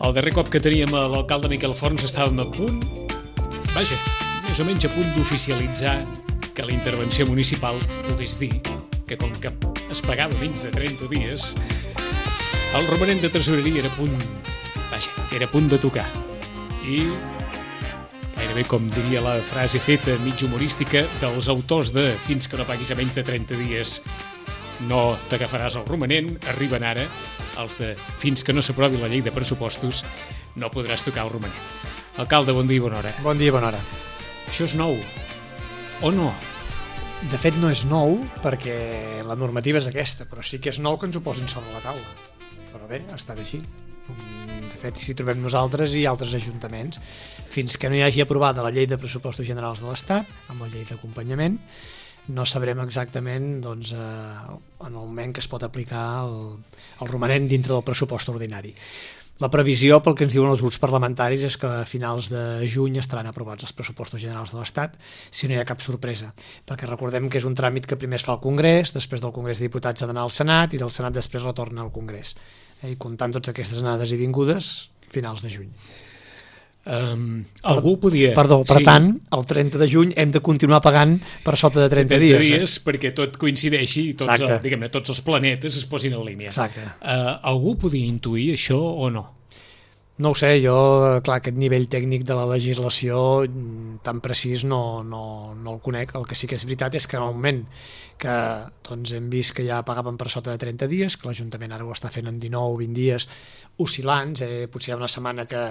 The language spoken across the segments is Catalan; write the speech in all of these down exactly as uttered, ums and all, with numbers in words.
El darrer cop que teníem l'alcalde Miquel Forns estàvem a punt, vaja, més o menys a punt d'oficialitzar que la intervenció municipal pogués dir que com que es pagava menys de trenta dies, el romanent de tresoreria era a punt, vaja, era a punt de tocar. I gairebé com diria la frase feta mig humorística dels autors de fins que no paguis a menys de trenta dies no t'agafaràs el romanent, arriben ara els de fins que no s'aprovi la llei de pressupostos no podràs tocar el romanent. Alcalde, bon dia i bona hora. Bon dia i bona hora. Això és nou, o no? De fet no és nou perquè la normativa és aquesta, però sí que és nou que ens ho posin sobre la taula. Però bé, ha estat així. De fet, si trobem nosaltres i altres ajuntaments, fins que no hi hagi aprovada la llei de pressupostos generals de l'Estat, amb la llei d'acompanyament, no sabrem exactament doncs, eh, en el moment que es pot aplicar el, el romanent dintre del pressupost ordinari. La previsió, pel que ens diuen els grups parlamentaris, és que a finals de juny estaran aprovats els pressupostos generals de l'Estat, si no hi ha cap sorpresa, perquè recordem que és un tràmit que primer es fa al Congrés, després del Congrés de Diputats ha d'anar al Senat i del Senat després retorna al Congrés. Eh, I comptant totes aquestes anades i vingudes, finals de juny. Um, algú podia... Perdó, per sí. tant, el trenta de juny hem de continuar pagant per sota de trenta dies. dies, perquè tot coincideixi i tots, el, diguem-ne, tots els planetes es posin en línia. Exacte. Uh, algú podia intuir això o no? No ho sé, jo, clar, aquest nivell tècnic de la legislació tan precís no, no, no el conec. El que sí que és veritat és que en el moment que doncs, hem vist que ja pagaven per sota de trenta dies, que l'Ajuntament ara ho està fent en dinou o vint dies oscil·lants, eh? Potser hi ha una setmana que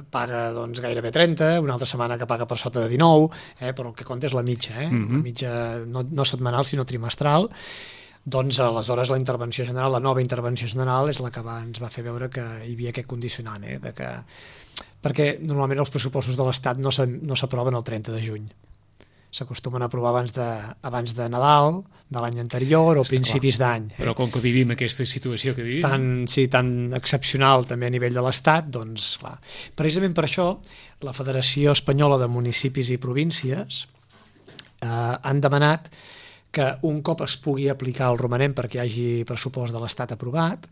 paga doncs, gairebé trenta, una altra setmana que paga per sota de dinou, eh? Però el que compta és la mitja, eh? Mm-hmm. La mitja no, no setmanal sinó trimestral. Doncs aleshores la intervenció general, la nova intervenció general és la que va, ens va fer veure que hi havia aquest condicionant, eh? De que, perquè normalment els pressupostos de l'Estat no s'aproven el trenta de juny. S'acostumen a aprovar abans de, abans de Nadal, de l'any anterior o Està principis d'any. Eh? Però com que vivim aquesta situació que vivim... Tan, sí, tan excepcional també a nivell de l'Estat, doncs clar. Precisament per això la Federació Espanyola de Municipis i Províncies eh, han demanat que un cop es pugui aplicar el romanent perquè hi hagi pressupost de l'Estat aprovat,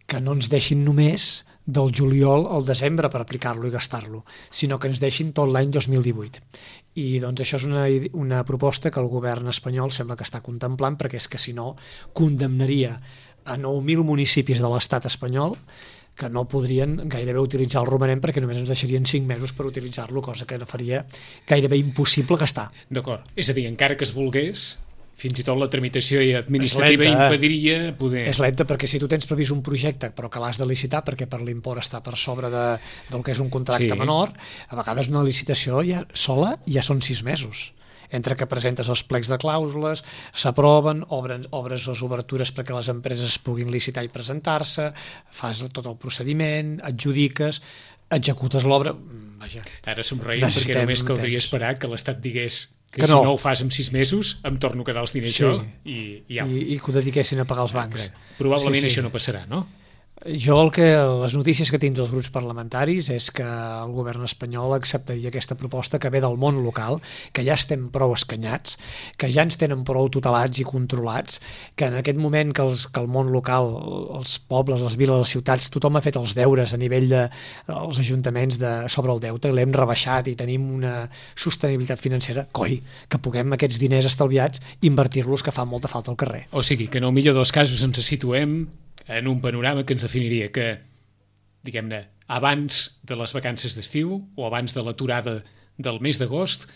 que no ens deixin només del juliol al desembre per aplicar-lo i gastar-lo, sinó que ens deixin tot l'any dos mil divuit. I doncs això és una, una proposta que el govern espanyol sembla que està contemplant, perquè és que si no condemnaria a nou mil municipis de l'estat espanyol que no podrien gairebé utilitzar el romanent perquè només ens deixarien cinc mesos per utilitzar-lo, cosa que faria gairebé impossible gastar. D'acord, és a dir, encara que es volgués, fins i tot la tramitació administrativa impediria poder... És lenta perquè si tu tens previst un projecte però que l'has de licitar perquè per l'import està per sobre de, del que és un contracte sí. menor, a vegades una licitació ja, sola ja són sis mesos. Entre que presentes els plecs de clàusules, s'aproven, obren, obres les obertures perquè les empreses puguin licitar i presentar-se, fas tot el procediment, adjudiques, executes l'obra... Vaja, ara somreiem perquè només caldria esperar que l'Estat digués que, que si no. no ho fas en sis mesos em torno a quedar els diners sí. jo i, i, ja. I, i que ho dediquessin a pagar els bancs. Probablement sí, sí. això no passarà, no? Jo el que, les notícies que tinc dels grups parlamentaris és que el govern espanyol acceptaria aquesta proposta que ve del món local, que ja estem prou escanyats, que ja ens tenen prou tutelats i controlats, que en aquest moment que, els, que el món local, els pobles, les viles, les ciutats, tothom ha fet els deures a nivell dels de, ajuntaments de, sobre el deute, l'hem rebaixat i tenim una sostenibilitat financera, coi, que puguem aquests diners estalviats invertir-los que fa molta falta al carrer. O sigui, que en el millor dels casos ens situem en un panorama que ens definiria que, diguem-ne, abans de les vacances d'estiu o abans de l'aturada del mes d'agost,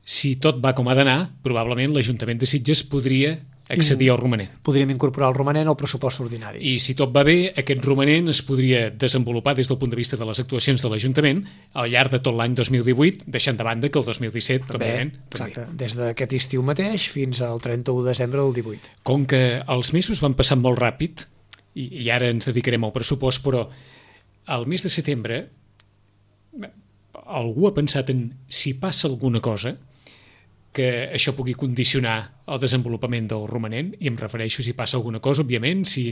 si tot va com ha d'anar, probablement l'Ajuntament de Sitges podria accedir al romanent. Podríem incorporar el romanent al pressupost ordinari. I si tot va bé, aquest romanent es podria desenvolupar des del punt de vista de les actuacions de l'Ajuntament al llarg de tot l'any dos mil divuit, deixant de banda que el dos mil disset també. Exacte, des d'aquest estiu mateix fins al trenta-u de desembre del divuit. Com que els mesos van passant molt ràpid, i, i ara ens dedicarem al pressupost, però al mes de setembre algú ha pensat en si passa alguna cosa que això pugui condicionar el desenvolupament del romanent, i em refereixo si passa alguna cosa, òbviament, si,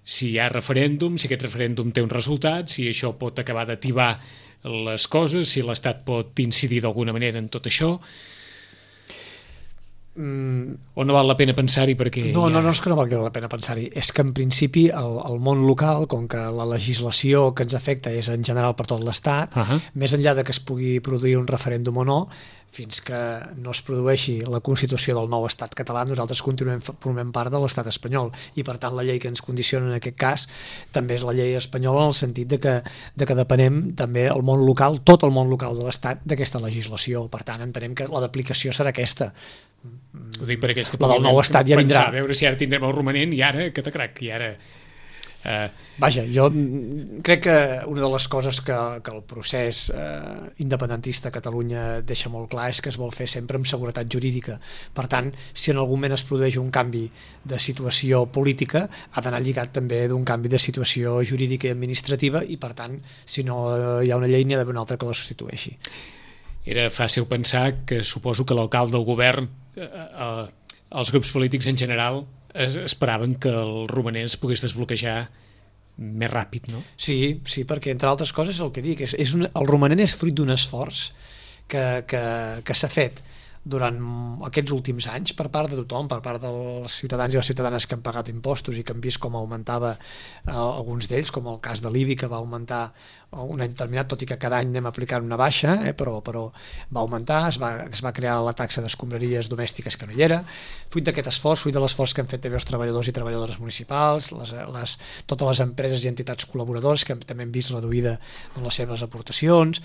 si hi ha referèndum, si aquest referèndum té un resultat, si això pot acabar d'ativar les coses, si l'Estat pot incidir d'alguna manera en tot això, mm. o no val la pena pensar-hi perquè... No, ja... no, no és que no valgui la pena pensar-hi, és que en principi el, el món local, com que la legislació que ens afecta és en general per tot l'Estat, uh -huh. més enllà de que es pugui produir un referèndum o no, fins que no es produeixi la Constitució del nou estat català, nosaltres continuem formant part de l'estat espanyol, i per tant la llei que ens condiciona en aquest cas també és la llei espanyola, en el sentit de que, de que depenem també el món local, tot el món local de l'estat, d'aquesta legislació. Per tant, entenem que la d'aplicació serà aquesta. Ho dic per aquells que la del nou estat ja vindrà. Pensar, a veure si ara tindrem el romanent i ara, que t'acrac, i ara... Uh... Vaja, jo crec que una de les coses que, que el procés eh, independentista a Catalunya deixa molt clar és que es vol fer sempre amb seguretat jurídica. Per tant, si en algun moment es produeix un canvi de situació política, ha d'anar lligat també d'un canvi de situació jurídica i administrativa, i per tant, si no hi ha una llei, n'hi ha d'haver una altra que la substitueixi. Era fàcil pensar que suposo que l'alcalde del govern, eh, eh, els grups polítics en general, esperaven que el romanent es pogués desbloquejar més ràpid, no? Sí, sí, perquè entre altres coses el que dic és, és un, el romanent és fruit d'un esforç que, que, que s'ha fet durant aquests últims anys per part de tothom, per part dels ciutadans i les ciutadanes que han pagat impostos i que han vist com augmentava eh, alguns d'ells, com el cas de l'I B I, que va augmentar un any determinat, tot i que cada any anem aplicant una baixa, eh, però, però va augmentar, es va, es va crear la taxa d'escombraries domèstiques que no hi era, fruit d'aquest esforç, fruit de l'esforç que han fet també els treballadors i treballadores municipals, les, les, totes les empreses i entitats col·laboradores que també han vist reduïda en les seves aportacions,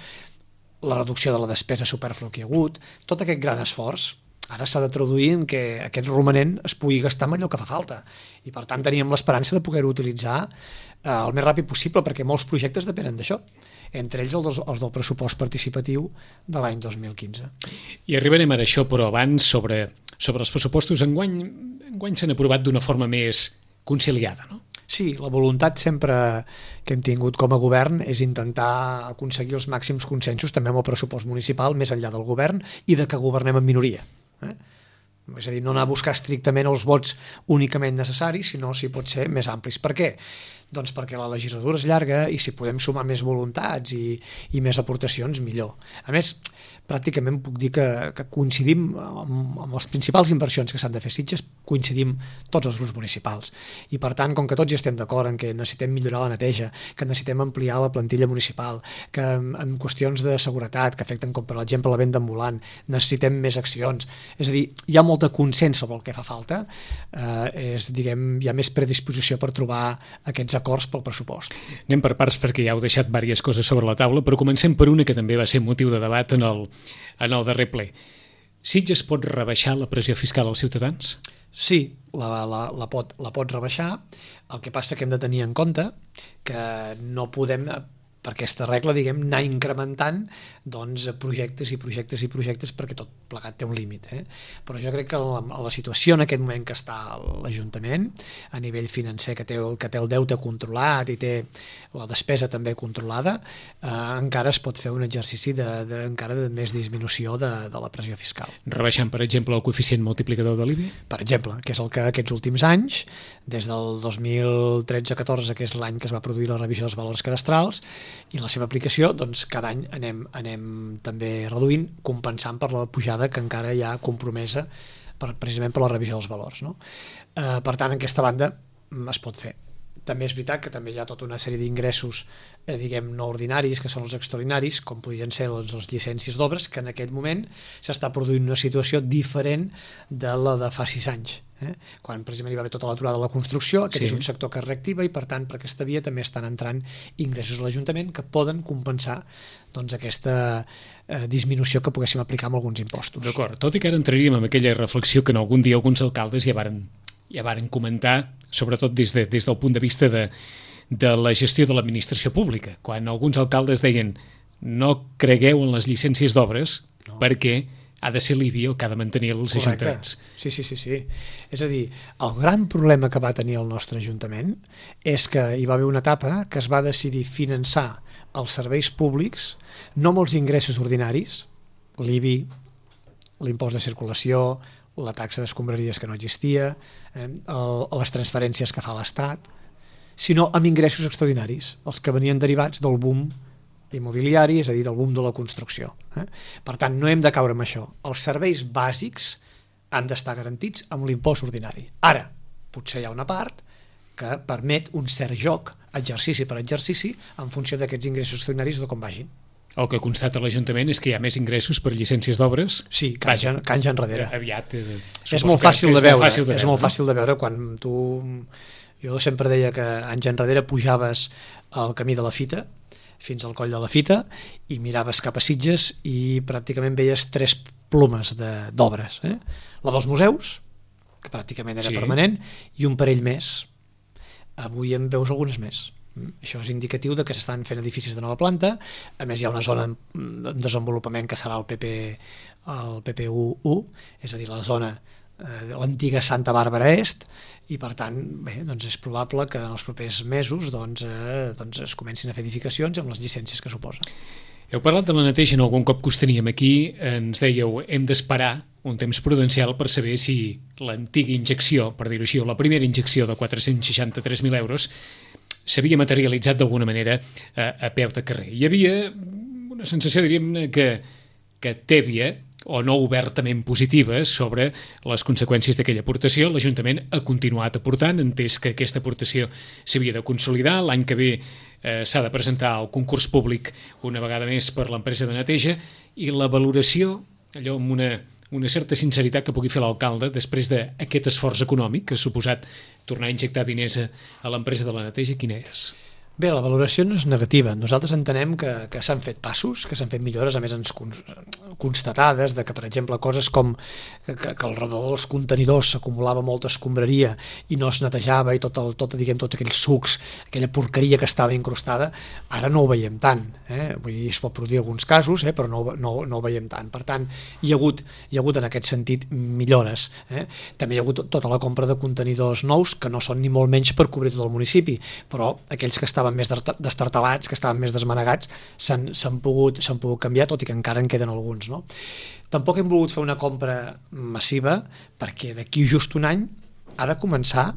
la reducció de la despesa supèrflua que hi ha hagut, tot aquest gran esforç ara s'ha de traduir en que aquest romanent es pugui gastar amb allò que fa falta, i per tant teníem l'esperança de poder-ho utilitzar eh, el més ràpid possible, perquè molts projectes depenen d'això, entre ells els, els del pressupost participatiu de l'any dos mil quinze. I arribarem a això, però abans sobre, sobre els pressupostos, enguany, enguany s'han aprovat d'una forma més conciliada, no? Sí, la voluntat sempre que hem tingut com a govern és intentar aconseguir els màxims consensos també amb el pressupost municipal, més enllà del govern, i de que governem en minoria. Eh? És a dir, no anar a buscar estrictament els vots únicament necessaris, sinó si pot ser més amplis. Per què? Doncs perquè la legislatura és llarga i si podem sumar més voluntats i, i més aportacions, millor. A més, pràcticament puc dir que, que coincidim amb, amb les principals inversions que s'han de fer a Sitges, coincidim tots els grups municipals. I per tant, com que tots ja estem d'acord en que necessitem millorar la neteja, que necessitem ampliar la plantilla municipal, que en, en qüestions de seguretat que afecten, com per exemple la venda ambulant, necessitem més accions. És a dir, hi ha molt de consens sobre el que fa falta, eh, és, diguem, hi ha més predisposició per trobar aquests acords pel pressupost. Anem per parts perquè ja heu deixat diverses coses sobre la taula, però comencem per una que també va ser motiu de debat en el, en el darrer ple. Sitges pot rebaixar la pressió fiscal als ciutadans? Sí, la, la, la, pot, la pot rebaixar. El que passa que hem de tenir en compte que no podem, per aquesta regla, diguem, anar incrementant doncs, projectes i projectes i projectes perquè tot plegat té un límit. Eh? Però jo crec que la, la situació en aquest moment que està l'Ajuntament, a nivell financer, que té, que té el deute controlat i té la despesa també controlada, eh, encara es pot fer un exercici de, de, encara de més disminució de, de la pressió fiscal. Rebaixant, per exemple, el coeficient multiplicador de l'I B I? Per exemple, que és el que aquests últims anys, des del dos mil tretze catorze, que és l'any que es va produir la revisió dels valors cadastrals, i la seva aplicació, doncs cada any anem, anem també reduint, compensant per la pujada que encara hi ha compromesa per, precisament per la revisió dels valors. No? Eh, per tant, en aquesta banda es pot fer. També és veritat que també hi ha tota una sèrie d'ingressos eh, diguem no ordinaris, que són els extraordinaris, com podrien ser doncs, les llicències d'obres, que en aquest moment s'està produint una situació diferent de la de fa sis anys. Eh? Quan precisament hi va haver tota l'aturada de la construcció, aquest sí. És un sector que es reactiva i per tant per aquesta via també estan entrant ingressos a l'Ajuntament que poden compensar doncs, aquesta eh, disminució que poguéssim aplicar amb alguns impostos. D'acord, tot i que ara entraríem en aquella reflexió que en algun dia alguns alcaldes ja varen, ja varen comentar, sobretot des, de, des del punt de vista de, de la gestió de l'administració pública, quan alguns alcaldes deien no cregueu en les llicències d'obres no. perquè ha de ser l'I B I el que ha de mantenir els Correcte. ajuntaments. Sí, sí, sí, sí. És a dir, el gran problema que va tenir el nostre Ajuntament és que hi va haver una etapa que es va decidir finançar els serveis públics no amb els ingressos ordinaris, l'I B I, l'impost de circulació, la taxa d'escombraries que no existia, eh, el, les transferències que fa l'Estat, sinó amb ingressos extraordinaris, els que venien derivats del boom immobiliari, és a dir, del boom de la construcció. Eh? Per tant, no hem de caure amb això. Els serveis bàsics han d'estar garantits amb l'impost ordinari. Ara, potser hi ha una part que permet un cert joc, exercici per exercici, en funció d'aquests ingressos extraordinaris de com vagin. El que constata l'Ajuntament és que hi ha més ingressos per llicències d'obres. Sí, que anys, que anys enrere. Aviat. Eh, és molt fàcil de veure. Molt fàcil de és veure, molt fàcil de veure quan tu... Jo sempre deia que anys enrere pujaves al camí de la Fita, fins al coll de la Fita, i miraves cap a Sitges i pràcticament veies tres plomes d'obres. Eh? La dels museus, que pràcticament era sí. permanent, i un parell més. Avui en veus algunes més. Això és indicatiu de que s'estan fent edificis de nova planta. A més, hi ha una zona en desenvolupament que serà el P P, el P P U u, és a dir, la zona de l'antiga Santa Bàrbara Est, i per tant bé, doncs és probable que en els propers mesos doncs, eh, doncs es comencin a fer edificacions amb les llicències que suposa. Heu parlat de la neteja en algun cop que us teníem aquí, ens dèieu hem d'esperar un temps prudencial per saber si l'antiga injecció, per dir-ho així, o la primera injecció de quatre-cents seixanta-tres mil euros s'havia materialitzat d'alguna manera a, a peu de carrer. Hi havia una sensació, diríem, que, que tèbia o no obertament positiva sobre les conseqüències d'aquella aportació. L'Ajuntament ha continuat aportant, entès que aquesta aportació s'havia de consolidar. L'any que ve eh, s'ha de presentar el concurs públic una vegada més per l'empresa de neteja, i la valoració, allò amb una, una certa sinceritat que pugui fer l'alcalde després d'aquest esforç econòmic que ha suposat tornar a injectar diners a, a l'empresa de la neteja, quina és? Bé, la valoració no és negativa. Nosaltres entenem que, que s'han fet passos, que s'han fet millores, a més ens constatades, de que, per exemple, coses com que, que al redador dels contenidors s'acumulava molta escombraria i no es netejava, i tot el, tot, diguem, tots aquells sucs, aquella porqueria que estava incrustada, ara no ho veiem tant. Eh? Vull dir, es pot produir alguns casos, eh? però no, no, no ho veiem tant. Per tant, hi ha hagut, hi ha hagut en aquest sentit millores. Eh? També hi ha hagut tota la compra de contenidors nous, que no són ni molt menys per cobrir tot el municipi, però aquells que estaven més destartalats, que estaven més desmanegats, s'han pogut, s'han pogut canviar, tot i que encara en queden alguns. No? Tampoc hem volgut fer una compra massiva, perquè d'aquí just un any ha de començar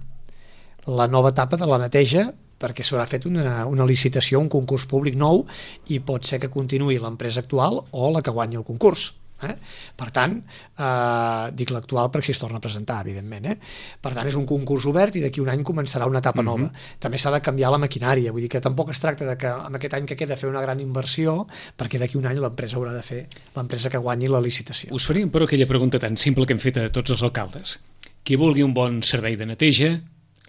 la nova etapa de la neteja, perquè s'haurà fet una, una licitació, un concurs públic nou, i pot ser que continuï l'empresa actual o la que guanyi el concurs. Eh? Per tant, eh, dic l'actual perquè si es torna a presentar, evidentment. Eh? Per tant, és un concurs obert i d'aquí un any començarà una etapa nova. Mm-hmm. També s'ha de canviar la maquinària, vull dir que tampoc es tracta de que en aquest any que queda fer una gran inversió, perquè d'aquí un any l'empresa haurà de fer, l'empresa que guanyi la licitació. Us faríem però aquella pregunta tan simple que hem fet a tots els alcaldes. Qui vulgui un bon servei de neteja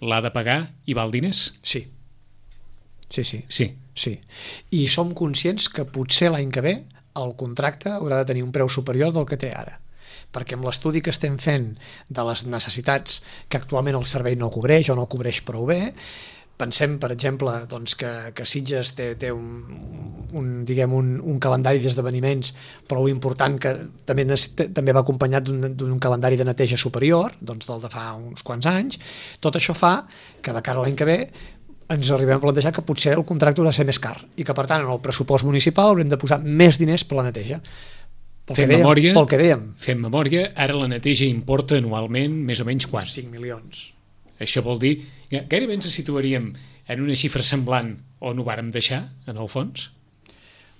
l'ha de pagar i val diners? Sí. Sí, sí. Sí. Sí. I som conscients que potser l'any que ve el contracte haurà de tenir un preu superior del que té ara, perquè amb l'estudi que estem fent de les necessitats que actualment el servei no cobreix o no cobreix prou bé, pensem, per exemple, doncs, que, que Sitges té, té un, un, diguem, un, un calendari d'esdeveniments prou important que també, també va acompanyat d'un calendari de neteja superior, doncs del de fa uns quants anys. Tot això fa que de cara a l'any que ve ens arribem a plantejar que potser el contracte haurà de ser més car i que, per tant, en el pressupost municipal haurem de posar més diners per la neteja. Pel fem que dèiem, memòria, pel que dèiem. Fem memòria, ara la neteja importa anualment més o menys quant? cinc milions. Això vol dir, gairebé ens situaríem en una xifra semblant on ho vàrem deixar, en el fons?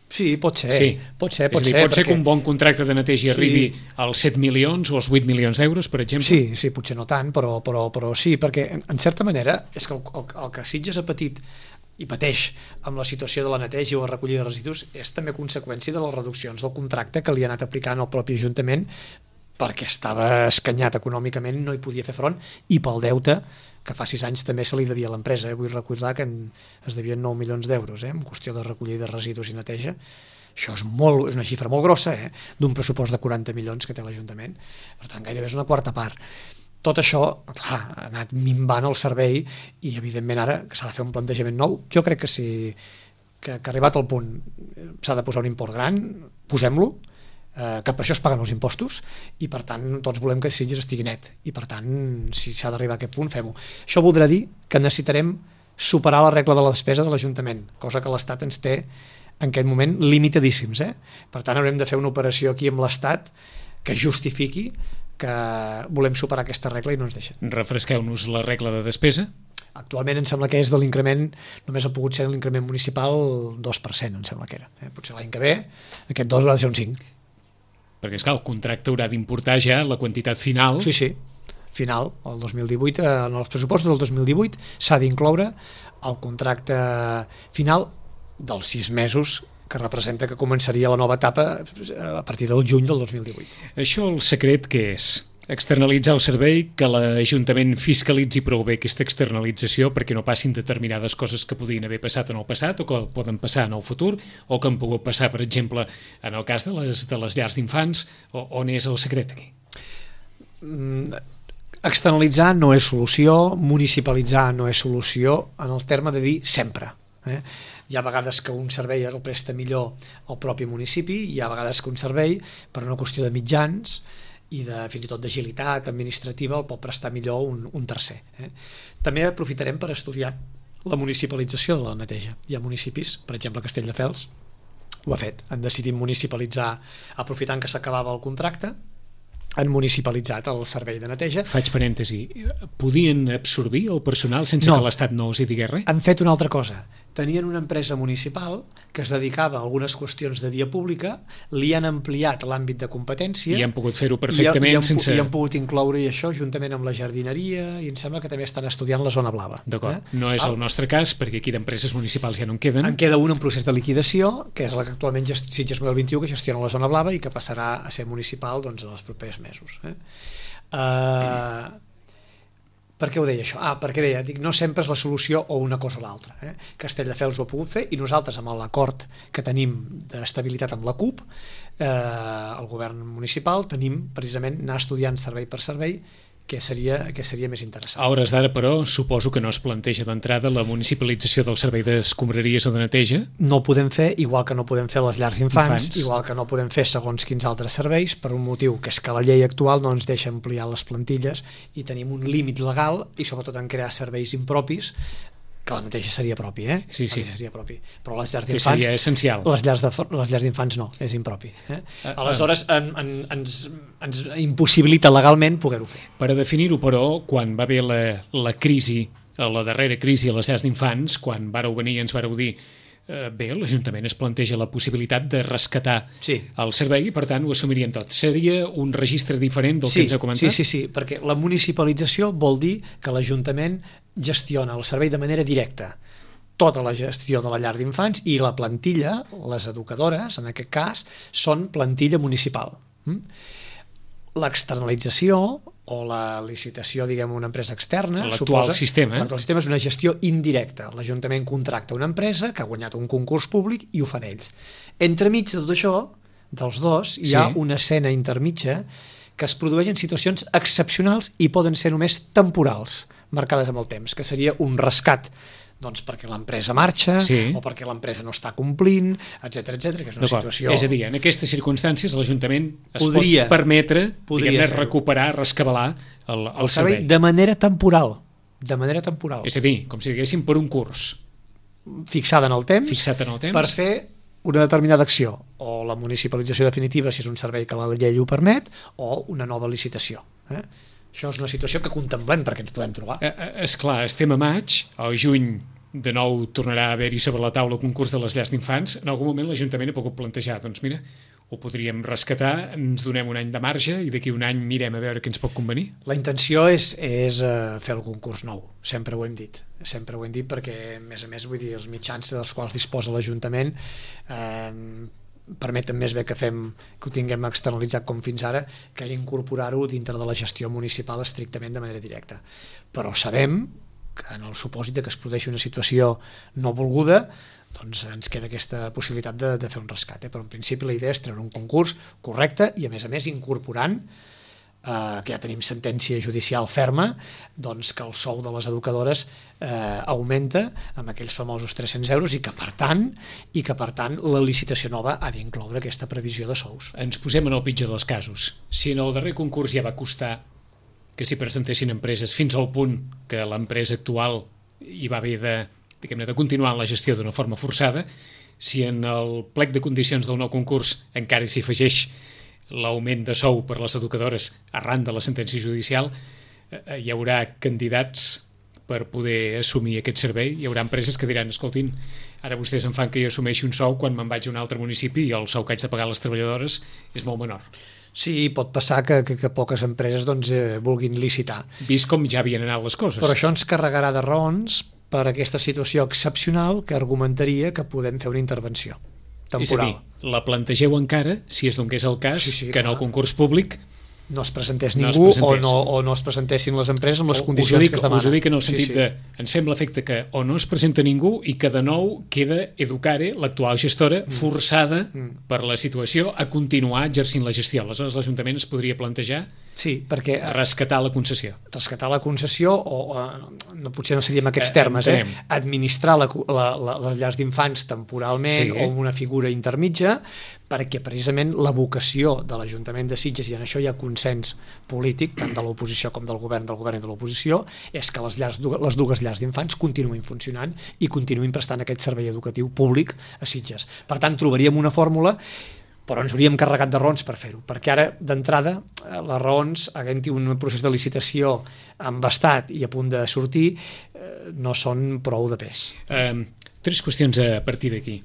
Sí, pot ser. Sí. Pot ser, pot és a dir, ser, pot ser perquè... que un bon contracte de neteja sí. arribi als set milions o als vuit milions d'euros, per exemple? Sí, sí, potser no tant, però, però, però sí, perquè en certa manera és que el, el, el que Sitges ha patit i pateix amb la situació de la neteja o la recollida de residus és també conseqüència de les reduccions del contracte que li ha anat aplicant el propi Ajuntament, perquè estava escanyat econòmicament, no hi podia fer front, i pel deute que fa sis anys també se li devia a l'empresa. Eh? Vull recordar que es devien nou milions d'euros eh? en qüestió de recollida de residus i neteja. Això és, molt, és una xifra molt grossa, eh? d'un pressupost de quaranta milions que té l'Ajuntament. Per tant, gairebé és una quarta part. Tot això, clar, ha anat minvant el servei i, evidentment, ara s'ha de fer un plantejament nou. Jo crec que si que, que arribat al punt s'ha de posar un import gran, posem-lo, eh, que per això es paguen els impostos, i per tant tots volem que Sitges estigui net, i per tant si s'ha d'arribar a aquest punt, fem-ho. Això voldrà dir que necessitarem superar la regla de la despesa de l'Ajuntament, cosa que l'Estat ens té en aquest moment limitadíssims, eh? Per tant haurem de fer una operació aquí amb l'Estat que justifiqui que volem superar aquesta regla i no ens deixen. Refresqueu-nos la regla de despesa. Actualment em sembla que és de l'increment, només ha pogut ser l'increment municipal dos per cent, em sembla que era. Eh? Potser l'any que ve aquest dos haurà de ser un cinc. Perquè, esclar, el contracte haurà d'importar ja la quantitat final. Sí, sí, final, el dos mil divuit, en els pressupostos del dos mil divuit s'ha d'incloure el contracte final dels sis mesos que representa que començaria la nova etapa a partir del juny del dos mil divuit. Això el secret què és? Externalitzar el servei, que l'Ajuntament fiscalitzi prou bé aquesta externalització perquè no passin determinades coses que podien haver passat en el passat o que poden passar en el futur o que han pogut passar, per exemple, en el cas de les, de les llars d'infants. On és el secret aquí? Externalitzar no és solució, municipalitzar no és solució, en el terme de dir sempre. Eh? Hi ha vegades que un servei el presta millor al propi municipi, hi ha vegades que un servei, per una qüestió de mitjans i de, fins i tot d'agilitat administrativa, el pot prestar millor un, un tercer. Eh? També aprofitarem per estudiar la municipalització de la neteja. Hi ha municipis, per exemple Castelldefels, ho ha fet, han decidit municipalitzar, aprofitant que s'acabava el contracte, han municipalitzat el servei de neteja. Faig parèntesi, podien absorbir el personal sense no, que l'Estat no els hi digués res? Han fet una altra cosa. Tenien una empresa municipal que es dedicava a algunes qüestions de via pública, li han ampliat l'àmbit de competència i han pogut fer-ho perfectament i, i han, sense... i han pogut incloure això juntament amb la jardineria, i em sembla que també estan estudiant la zona blava. D'acord, eh? no és ah. el nostre cas, perquè aquí d'empreses municipals ja no en queden. En queda un en procés de liquidació, que és la que actualment Sitges dos mil vint-i-u, que gestiona la zona blava i que passarà a ser municipal doncs, en els propers mesos. Eh? Uh, per què ho deia això? Ah, perquè deia, dic, no sempre és la solució o una cosa o l'altra. Eh? Castelldefels ho ha pogut fer i nosaltres amb l'acord que tenim d'estabilitat amb la C U P, eh, el govern municipal, tenim precisament anar estudiant servei per servei què seria, què seria més interessant. A hores d'ara, però, suposo que no es planteja d'entrada la municipalització del servei d'escombraries o de neteja? No ho podem fer, igual que no podem fer les llars d'infants, Infants. igual que no podem fer segons quins altres serveis, per un motiu que és que la llei actual no ens deixa ampliar les plantilles i tenim un límit legal i sobretot en crear serveis impropis, que la neteja seria propi, eh? Sí, sí. Seria propi. Però les llars Que d'infants... seria essencial. Les llars, de, les llars d'infants no, és impropi. Eh? Ah, Aleshores, en, en, ens, ens impossibilita legalment poder-ho fer. Per a definir-ho, però, quan va haver la, la crisi, la darrera crisi a les llars d'infants, quan vareu venir i ens vareu dir eh, bé, l'Ajuntament es planteja la possibilitat de rescatar sí. el servei i, per tant, ho assumirien tot. Seria un registre diferent del sí, que ens heu comentat? Sí, sí, sí, perquè la municipalització vol dir que l'Ajuntament gestiona el servei de manera directa, tota la gestió de la llar d'infants, i la plantilla, les educadores, en aquest cas, són plantilla municipal. L'externalització o la licitació, diguem, una empresa externa... L'actual sistema. Eh? L'actual sistema és una gestió indirecta. L'Ajuntament contracta una empresa que ha guanyat un concurs públic i ho fan ells. Entremig de tot això, dels dos, hi ha sí. una escena intermitja que es produeix en situacions excepcionals i poden ser només temporals, marcades amb el temps, que seria un rescat doncs perquè l'empresa marxa sí. o perquè l'empresa no està complint, etcètera, etcètera, que és una situació... És a dir, en aquestes circumstàncies l'Ajuntament es podria, pot permetre podria recuperar, rescabalar el, el, el servei, servei de manera temporal. De manera temporal. És a dir, com si diguéssim per un curs. Fixada en el temps. Fixat en el temps. Per fer una determinada acció, o la municipalització definitiva si és un servei que la llei ho permet, o una nova licitació. Eh? Això és una situació que contemplem perquè ens podem trobar. Eh, esclar, estem a maig, al juny de nou tornarà a haver-hi sobre la taula el concurs de les llars d'infants. En algun moment l'Ajuntament ha pogut plantejar, doncs mira, ho podríem rescatar, ens donem un any de marge i d'aquí un any mirem a veure què ens pot convenir. La intenció és, és fer el concurs nou, sempre ho hem dit. Sempre ho hem dit perquè, a més a més, vull dir, els mitjans dels quals disposa l'Ajuntament eh, permeten més bé que fem que ho tinguem externalitzat com fins ara que incorporar-ho dintre de la gestió municipal estrictament de manera directa. Però sabem que en el supòsit que es produeixi una situació no volguda, doncs ens queda aquesta possibilitat de, de fer un rescat. Eh? Però en principi la idea és treure un concurs correcte i a més a més incorporant eh, que ja tenim sentència judicial ferma, doncs que el sou de les educadores eh, augmenta amb aquells famosos tres-cents euros i que per tant i que per tant la licitació nova ha d'incloure aquesta previsió de sous. Ens posem en el pitjor dels casos. Si en el darrer concurs ja va costar que s'hi presentessin empreses fins al punt que l'empresa actual hi va haver de, diguem-ne, de continuar en la gestió d'una forma forçada, si en el plec de condicions del nou concurs encara s'hi afegeix l'augment de sou per les educadores arran de la sentència judicial, eh, hi haurà candidats per poder assumir aquest servei. Hi haurà empreses que diran, escoltin, ara vostès em fan que jo assumeixi un sou quan me'n vaig a un altre municipi i el sou que haig de pagar a les treballadores és molt menor. Sí, pot passar que, que, que poques empreses doncs, eh, vulguin licitar. Vist com ja havien anat les coses. Però això ens carregarà de raons per aquesta situació excepcional que argumentaria que podem fer una intervenció temporal. És a dir, la plantegeu encara, si es donés el cas, sí, sí, que en el concurs públic no es presentés no ningú es presentés. O, no, o no es presentessin les empreses amb les o, condicions dic, que es demanen. Us ho dic en el sentit sí, sí. de ens fem l'efecte que o no es presenta ningú i que de nou queda Educare, l'actual gestora, mm. forçada mm. per la situació a continuar exercint la gestió. Aleshores l'Ajuntament es podria plantejar sí, perquè rescatar la concessió. Rescatar la concessió, o, o no, potser no seria en aquests eh, termes, eh? Entenem. Administrar la, la, la, les llars d'infants temporalment sí, eh? o amb una figura intermitja, perquè precisament la vocació de l'Ajuntament de Sitges, i en això hi ha consens polític, tant de l'oposició com del govern, del govern i de l'oposició, és que les, llars, les dues llars d'infants continuïn funcionant i continuïn prestant aquest servei educatiu públic a Sitges. Per tant, trobaríem una fórmula, però ens hauríem carregat de raons per fer-ho, perquè ara, d'entrada, les raons, havent-hi un procés de licitació embastat i a punt de sortir, eh, no són prou de pes. Um, tres qüestions a partir d'aquí.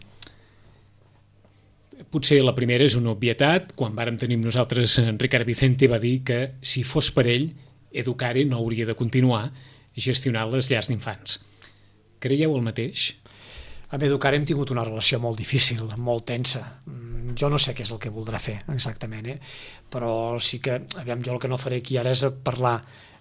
Potser la primera és una obvietat. Quan vàrem tenir nosaltres, en Ricard Vicente va dir que si fos per ell, Educare no hauria de continuar gestionant les llars d'infants. Creieu el mateix? Amb Educare hem tingut una relació molt difícil, molt tensa. Jo no sé què és el que voldrà fer exactament, eh? Però sí que, aviam, jo el que no faré aquí ara és parlar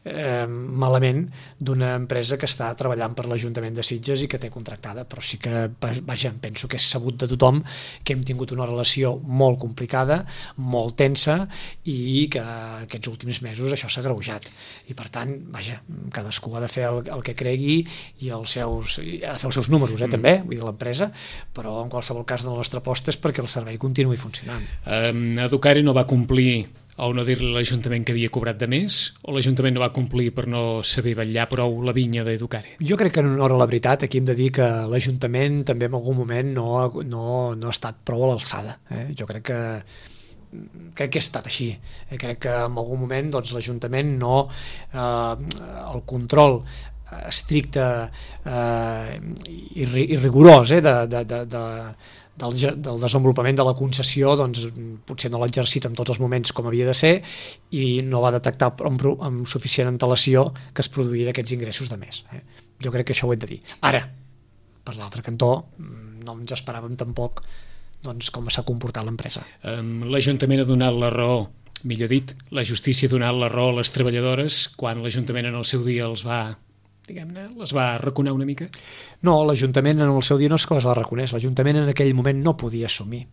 eh, malament d'una empresa que està treballant per l'Ajuntament de Sitges i que té contractada, però sí que, vaja, penso que és sabut de tothom que hem tingut una relació molt complicada, molt tensa, i que aquests últims mesos això s'ha agreujat. I per tant, vaja, cadascú ha de fer el, el que cregui i els seus, ha de fer els seus números, eh, mm. també, vull dir, l'empresa, però en qualsevol cas la nostra aposta és perquè el servei continuï funcionant. Um, Educare no va complir o no dir-li a l'Ajuntament que havia cobrat de més, o l'Ajuntament no va complir per no saber vetllar prou la vinya d'Educare? Jo crec que en honor a la veritat aquí hem de dir que l'Ajuntament també en algun moment no, no, no ha estat prou a l'alçada. Eh? Jo crec que crec que ha estat així. Eh? Crec que en algun moment doncs, l'Ajuntament no eh, el control estricte eh, i, i rigorós eh, de, de, de, de Del, del desenvolupament de la concessió, doncs potser no l'ha exercit en tots els moments com havia de ser i no va detectar amb, amb suficient antelació que es produïen aquests ingressos de més. Eh? Jo crec que això ho hem de dir. Ara, per l'altre cantó, no ens esperàvem tampoc doncs, com s'ha comportat l'empresa. Um, L'Ajuntament ha donat la raó, millor dit, la justícia ha donat la raó a les treballadores quan l'Ajuntament en el seu dia els va... diguem-ne, les va arraconar una mica? No, l'Ajuntament en el seu dia no és que les va reconèixer. L'Ajuntament en aquell moment no podia assumir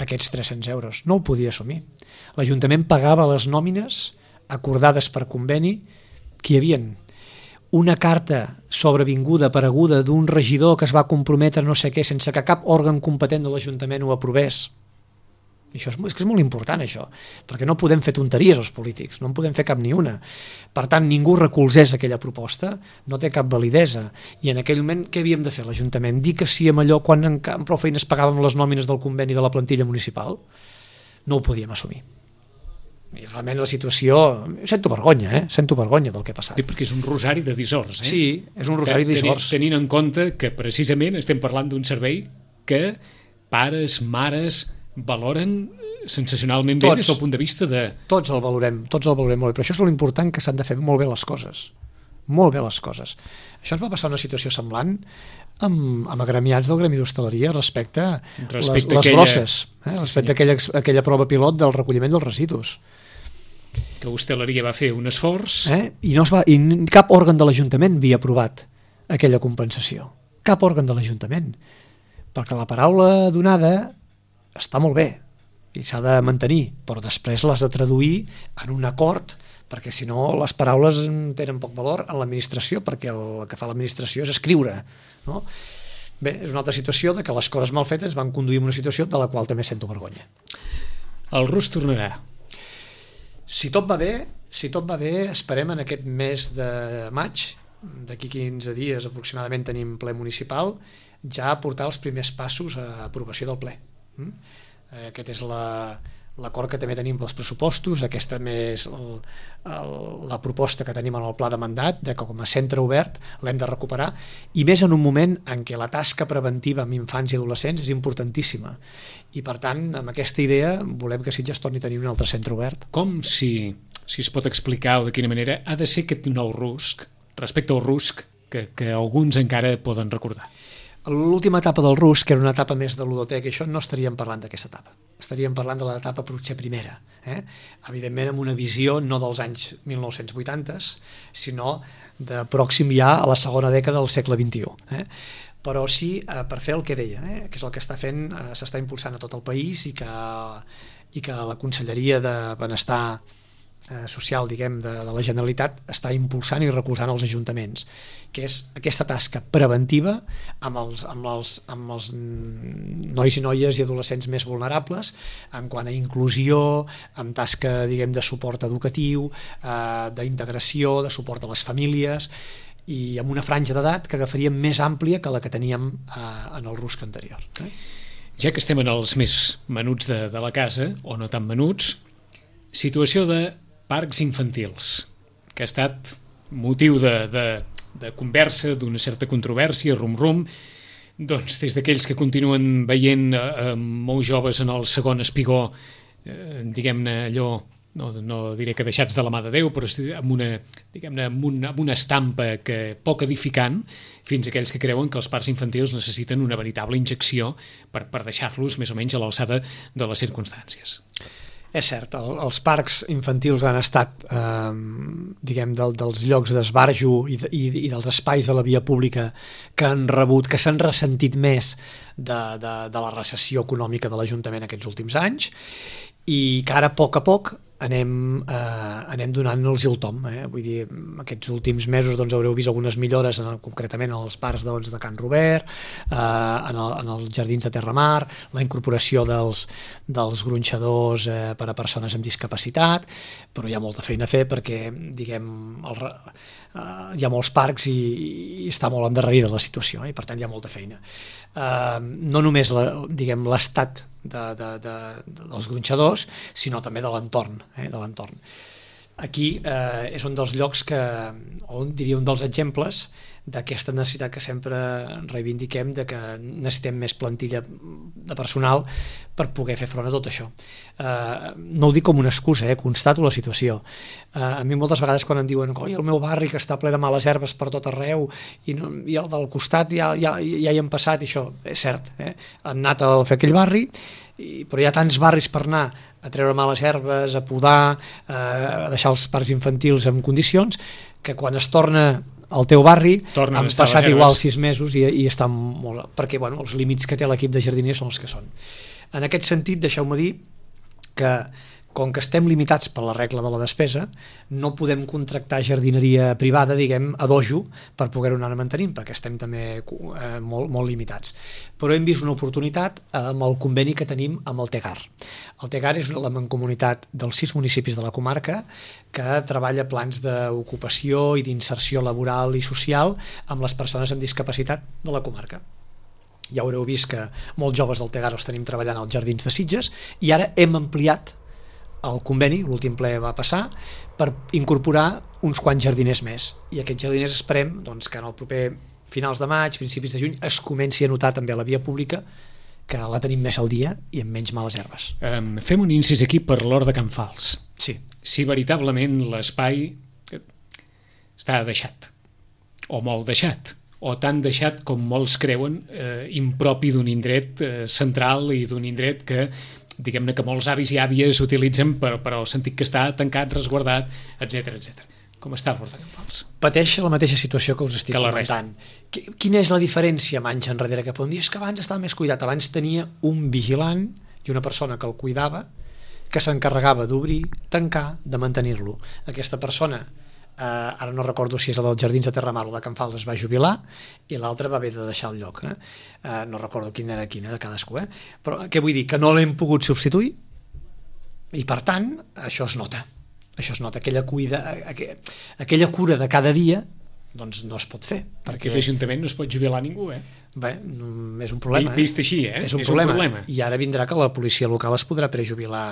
aquests tres-cents euros. No ho podia assumir. L'Ajuntament pagava les nòmines acordades per conveni que hi havia. Una carta sobrevinguda, apareguda d'un regidor que es va comprometre no sé què sense que cap òrgan competent de l'Ajuntament ho aprovés. I això és, és que és molt important, això, perquè no podem fer tonteries els polítics, no en podem fer cap ni una. Per tant, ningú recolzés aquella proposta, no té cap validesa. I en aquell moment, què havíem de fer l'Ajuntament? Dir que sí amb allò quan en, en prou feines pagàvem les nòmines del conveni de la plantilla municipal? No ho podíem assumir. I realment la situació... Sento vergonya, eh? Sento vergonya del que ha passat. Sí, perquè és un rosari de dissors, eh? Sí, és un rosari de dissors. Tenint en compte que precisament estem parlant d'un servei que pares, mares... valoren sensacionalment bé tots, des del punt de vista de... Tots el valorem, tots el valorem molt bé, però això és l'important, que s'han de fer molt bé les coses. Molt bé les coses. Això ens va passar una situació semblant amb, amb agremiats del Gremi d'Hostaleria respecte, respecte les, les aquella... brosses, eh? sí, respecte a aquella, aquella prova pilot del recolliment dels residus. Que Hostaleria va fer un esforç... Eh? I, no es va, I cap òrgan de l'Ajuntament havia aprovat aquella compensació. Cap òrgan de l'Ajuntament. Perquè la paraula donada està molt bé, i s'ha de mantenir, però després l'has de traduir en un acord, perquè si no les paraules tenen poc valor en l'administració, perquè el que fa l'administració és escriure, no? Bé, és una altra situació de que les coses mal fetes van conduir a una situació de la qual també sento vergonya. El rus tornarà. Si tot va bé, si tot va bé, esperem en aquest mes de maig, d'aquí quinze dies aproximadament tenim ple municipal, ja portar els primers passos a aprovació del ple. Aquest és la, l'acord que també tenim pels pressupostos, aquesta més el, el, la proposta que tenim en el pla de mandat, de que com a centre obert l'hem de recuperar, i més en un moment en què la tasca preventiva amb infants i adolescents és importantíssima. I per tant, amb aquesta idea, volem que Sitges torni a tenir un altre centre obert. Com si, si es pot explicar o de quina manera ha de ser aquest nou rusc, respecte al rusc, que, que alguns encara poden recordar? L'última etapa del rusc, que era una etapa més de ludoteca, això no estaríem parlant d'aquesta etapa. Estaríem parlant de l'etapa potser primera. Eh? Evidentment amb una visió no dels anys mil nou-cents vuitanta, sinó de pròxim ja a la segona dècada del segle vint-i-u. Eh? Però sí eh, per fer el que deia, eh? que és el que està fent, eh, s'està impulsant a tot el país i que, i que la Conselleria de Benestar social, diguem, de, de la Generalitat està impulsant i recolzant els ajuntaments, que és aquesta tasca preventiva amb els, amb els, amb els nois i noies i adolescents més vulnerables, en quant a inclusió, amb tasca, diguem, de suport educatiu, eh, d'integració, de suport a les famílies, i amb una franja d'edat que agafaríem més àmplia que la que teníem eh, en el rusc anterior. Eh? Ja que estem en els més menuts de, de la casa, o no tan menuts, situació de parcs infantils, que ha estat motiu de, de, de conversa, d'una certa controvèrsia, rum-rum, doncs des d'aquells que continuen veient eh, molts joves en el segon espigó, eh, diguem-ne allò, no, no diré que deixats de la mà de Déu, però amb una, diguem-ne, amb una, amb una estampa que poc edificant, fins a aquells que creuen que els parcs infantils necessiten una veritable injecció per, per deixar-los més o menys a l'alçada de les circumstàncies. És cert, el, els parcs infantils han estat, eh, diguem, del, dels llocs d'esbarjo i, i, i dels espais de la via pública que han rebut, que s'han ressentit més de, de, de la recessió econòmica de l'Ajuntament aquests últims anys, i que ara a poc a poc anem, eh, anem donant-los el tom. Eh? Vull dir, aquests últims mesos doncs, haureu vist algunes millores, en, concretament en els parcs doncs, de Can Robert, eh, en, el, en els jardins de Terramar, la incorporació dels, dels gronxadors eh, per a persones amb discapacitat, però hi ha molta feina a fer perquè, diguem, el, eh, hi ha molts parcs i, i està molt endarrerida la situació, eh? I per tant hi ha molta feina. Eh, no només la, diguem, l'estat de, de, de, de, dels gronxadors, sinó també de l'entorn, eh, de l'entorn. Aquí eh, és un dels llocs que, o diria un dels exemples d'aquesta necessitat que sempre reivindiquem, de que necessitem més plantilla de personal per poder fer front a tot això. Eh, no ho dic com una excusa, eh, constato la situació. Eh, a mi moltes vegades quan em diuen oi, el meu barri que està ple de males herbes per tot arreu i, no, i el del costat ja, ja, ja hi han passat, i això és cert, eh? Han anat a fer aquell barri, i, però hi ha tants barris per anar a treure males herbes, a podar, eh, a deixar els parcs infantils en condicions, que quan es torna al teu barri Tornen han passat igual sis mesos i, i estan molt... perquè bueno, els límits que té l'equip de jardiners són els que són. En aquest sentit, deixeu-me dir que com que estem limitats per la regla de la despesa, no podem contractar jardineria privada, diguem, a dojo, per poder-ho anar mantenint, perquè estem també eh, molt, molt limitats. Però hem vist una oportunitat amb el conveni que tenim amb el Tegar. El Tegar és la mancomunitat dels sis municipis de la comarca que treballa plans d'ocupació i d'inserció laboral i social amb les persones amb discapacitat de la comarca. Ja haureu vist que molts joves del Tegar els tenim treballant als jardins de Sitges i ara hem ampliat el conveni, l'últim ple va passar, per incorporar uns quants jardiners més. I aquests jardiners esperem doncs, que en el proper finals de maig, principis de juny, es comenci a notar també a la via pública que la tenim més al dia i amb menys males herbes. Um, fem un incís aquí per l'hort de Can Fals. Sí. Si veritablement l'espai està deixat, o molt deixat, o tan deixat com molts creuen, eh, impropi d'un indret eh, central i d'un indret que diguem-ne que molts avis i àvies utilitzen per, per el sentit que està tancat, resguardat, etcètera, etcètera. Com està l'hort de Can Fals? Pateix la mateixa situació que us estic que comentant. Quina és la diferència amb anys enrere? Que podem dir que abans estava més cuidat, abans tenia un vigilant i una persona que el cuidava, que s'encarregava d'obrir, tancar, de mantenir-lo. Aquesta persona, eh, ara no recordo si és el dels Jardins de Terramar o de Can Fals, es va jubilar i l'altre va haver de deixar el lloc. Eh? Eh, no recordo quina era quina de cadascú. Eh? Però què vull dir? Que no l'hem pogut substituir i per tant això es nota. Això es nota, aquella, cuida, aquella cura de cada dia doncs no es pot fer. Perquè l'Ajuntament no es pot jubilar ningú, eh? Bé, és un problema. Vist així, eh? És un, és problema. un problema. I ara vindrà que la policia local es podrà prejubilar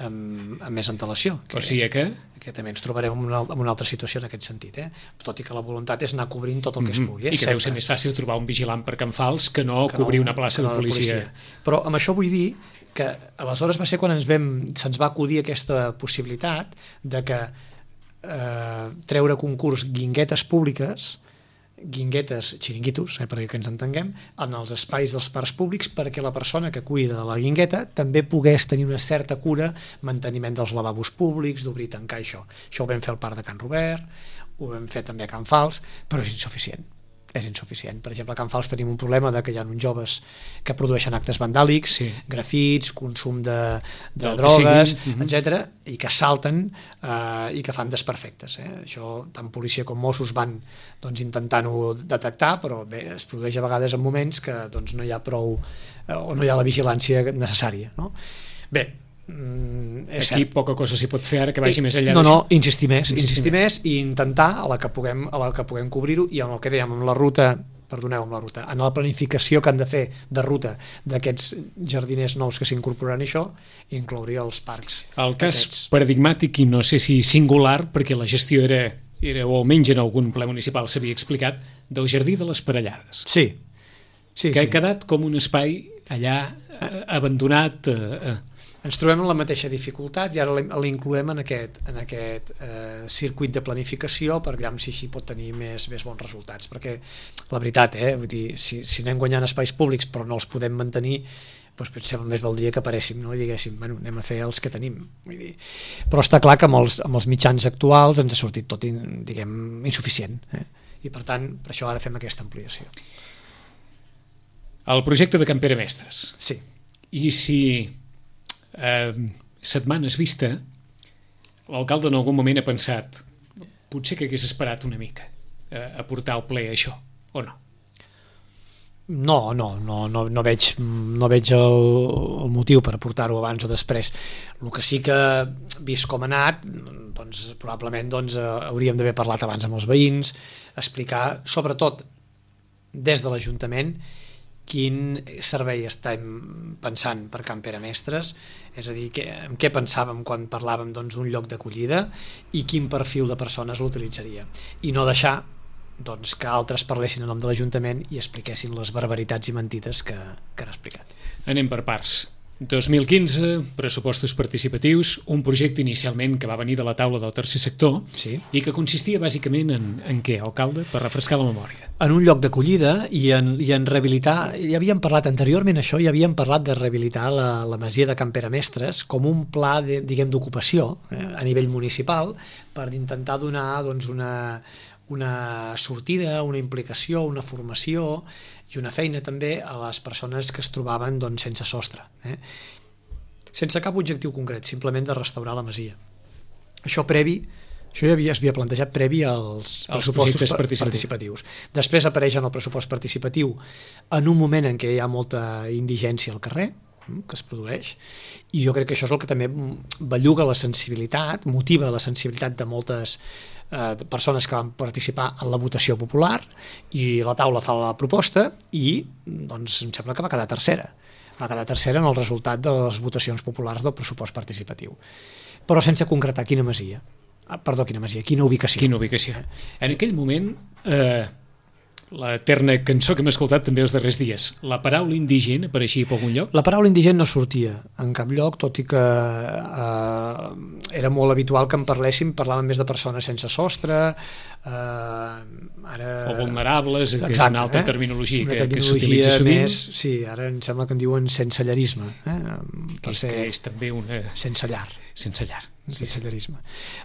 amb, amb més antelació. Que, o sigui que... que també ens trobarem en una, en una altra situació en aquest sentit, eh? Tot i que la voluntat és anar cobrint tot el que mm-hmm. es pugui. Eh? I que Sempre. deu ser més fàcil trobar un vigilant per Can Fals que no que cobrir no, una plaça no de policia. policia. Però amb això vull dir que aleshores va ser quan ens vam, se'ns va acudir aquesta possibilitat de que eh, treure concurs guinguetes públiques, guinguetes, xiringuitos, eh, perquè que ens entenguem, en els espais dels parcs públics perquè la persona que cuida de la guingueta també pogués tenir una certa cura, manteniment dels lavabos públics, d'obrir i tancar això. Això ho vam fer al Parc de Can Robert, ho vam fer també a Can Fals, però és insuficient. És insuficient. Per exemple, a Can Fals tenim un problema de que hi ha uns joves que produeixen actes vandàlics, sí. grafits, consum de, de Del drogues, uh-huh. etcètera, i que salten eh, i que fan desperfectes. Eh? Això, tant policia com Mossos van doncs, intentant-ho detectar, però bé, es produeix a vegades en moments que doncs, no hi ha prou eh, o no hi ha la vigilància necessària. No? Bé, Mm, aquí cert. Poca cosa s'hi pot fer ara que vagi I, més enllà no, d'això. No, insistir més, insistir, insistir més i intentar a la que puguem, a la que puguem cobrir-ho i amb el que dèiem, amb la ruta, perdoneu, amb la ruta, en la planificació que han de fer de ruta d'aquests jardiners nous que s'incorporaran a això, inclouria els parcs. El cas aquests. Paradigmàtic i no sé si singular, perquè la gestió era, era o almenys en algun ple municipal s'havia explicat, del Jardí de les Parellades. Sí. sí que sí. ha quedat com un espai allà eh, abandonat... Eh, eh, ens trobem en la mateixa dificultat i ara l'incloem en aquest, en aquest eh, circuit de planificació per veure si així pot tenir més, més bons resultats, perquè la veritat, eh, vull dir, si, si anem guanyant espais públics però no els podem mantenir, doncs potser més valdria que paréssim, no? I diguéssim, bueno, anem a fer els que tenim. Vull dir. Però està clar que amb els, amb els mitjans actuals ens ha sortit tot, diguem, insuficient. Eh? I per tant, per això ara fem aquesta ampliació. El projecte de Can Pere Mestres. Sí. I si... Eh, setmanes vista l'alcalde en algun moment ha pensat potser que hagués esperat una mica eh, a portar al ple això, o no? No, no, no, no, no veig, no veig el, el motiu per portar-ho abans o després. El que sí que, vist com ha anat, doncs, probablement doncs, hauríem d'haver parlat abans amb els veïns, explicar, sobretot des de l'Ajuntament, quin servei estem pensant per Can Pere Mestres, és a dir, que, en què pensàvem quan parlàvem d'un doncs, lloc d'acollida i quin perfil de persones l'utilitzaria. I no deixar doncs, que altres parlessin en nom de l'Ajuntament i expliquessin les barbaritats i mentides que, que han explicat. Anem per parts. dos mil quinze, pressupostos participatius, un projecte inicialment que va venir de la taula del tercer sector sí. i que consistia bàsicament en, en què, alcalde, per refrescar la memòria? En un lloc d'acollida i, en, i en rehabilitar, ja havíem parlat anteriorment això, ja havíem parlat de rehabilitar la, la masia de Can Pere Mestres com un pla de, diguem, d'ocupació eh, a nivell municipal per intentar donar doncs, una, una sortida, una implicació, una formació i una feina també a les persones que es trobaven doncs, sense sostre, eh? sense cap objectiu concret, simplement de restaurar la masia. Això previ, això ja havia, es havia plantejat previ als, als pressupostos participatius. participatius. Després apareix en el pressupost participatiu en un moment en què hi ha molta indigència al carrer, que es produeix, i jo crec que això és el que també belluga la sensibilitat, motiva la sensibilitat de moltes eh, persones que van participar en la votació popular, i la taula fa la proposta i doncs em sembla que va quedar tercera va quedar tercera en el resultat de les votacions populars del pressupost participatiu, però sense concretar quina masia, ah, perdó, quina masia, quina ubicació. Quina ubicació. En aquell moment eh, l'eterna cançó que hem escoltat també els darrers dies, la paraula indigent apareixia per algun lloc? La paraula indigent no sortia en cap lloc, tot i que eh, era molt habitual que en parléssim, parlàvem més de persones sense sostre, eh, ara... o vulnerables, que exacte, és una altra eh? terminologia, una que, terminologia que s'utilitza sovint. Més, sí, ara em sembla que en diuen sensellarisme, eh? que, ser... que és també una... sense llar. Sense llar. Sensellarisme.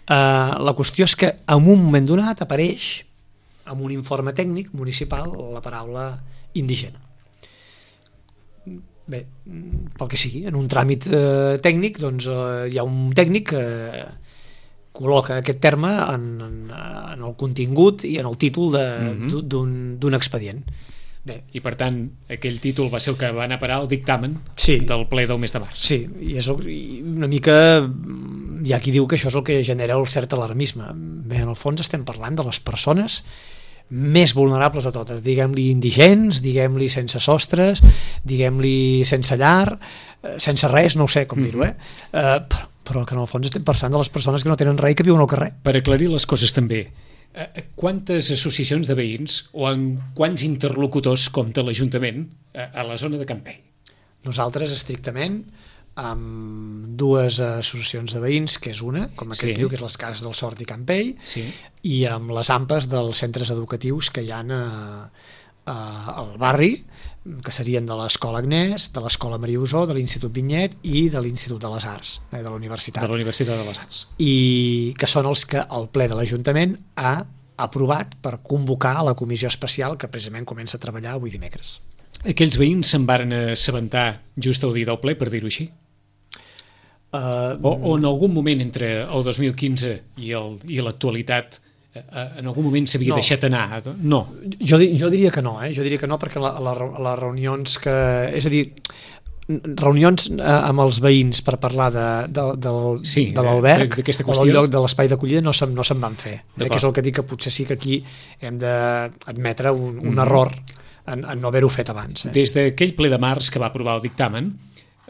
Uh, la qüestió és que en un moment donat apareix amb un informe tècnic municipal la paraula indigent. bé, pel que sigui, en un tràmit eh, tècnic, doncs eh, hi ha un tècnic que col·loca aquest terme en, en, en el contingut i en el títol de, mm-hmm. d'un, d'un expedient. Bé. I per tant, aquell títol va ser el que va anar a parar al dictamen sí. del ple del mes de març. Sí, i és el, i una mica hi ha qui diu que això és el que genera el cert alarmisme. Bé, en el fons estem parlant de les persones més vulnerables de totes, diguem-li indigents, diguem-li sense sostres, diguem-li sense llar, sense res, no ho sé com mm-hmm. dir-ho, eh? Uh, però, però que en el fons estem pensant de les persones que no tenen res i que viuen al carrer. Per aclarir les coses també, quantes associacions de veïns o en quants interlocutors compta l'Ajuntament a la zona de Campell? Nosaltres, estrictament, amb dues associacions de veïns, que és una, com aquest sí. diu, que és les Cases del Sort i Campell, sí. i amb les AMPAs dels centres educatius que hi ha a, a, al barri, que serien de l'Escola Agnès, de l'Escola Maria Usó, de l'Institut Vinyet i de l'Institut de les Arts, eh, de la Universitat. De la Universitat de les Arts. I que són els que el ple de l'Ajuntament ha aprovat per convocar a la comissió especial que precisament comença a treballar avui dimecres. Aquells veïns se'n varen assabentar just al dia del ple, per dir-ho així? Uh, o, o en algun moment entre el dos mil quinze i, el, i l'actualitat en algun moment s'havia no. deixat anar? No. Jo, jo diria que no, eh? Jo diria que no, perquè la, la, les reunions que... És a dir, reunions amb els veïns per parlar de, de, de, sí, de l'alberg o del lloc de l'espai d'acollida no se'n no se van fer. Eh, que és el que dic, que potser sí que aquí hem d'admetre un, un mm. error en, en no haver-ho fet abans. Eh? Des d'aquell ple de març que va aprovar el dictamen,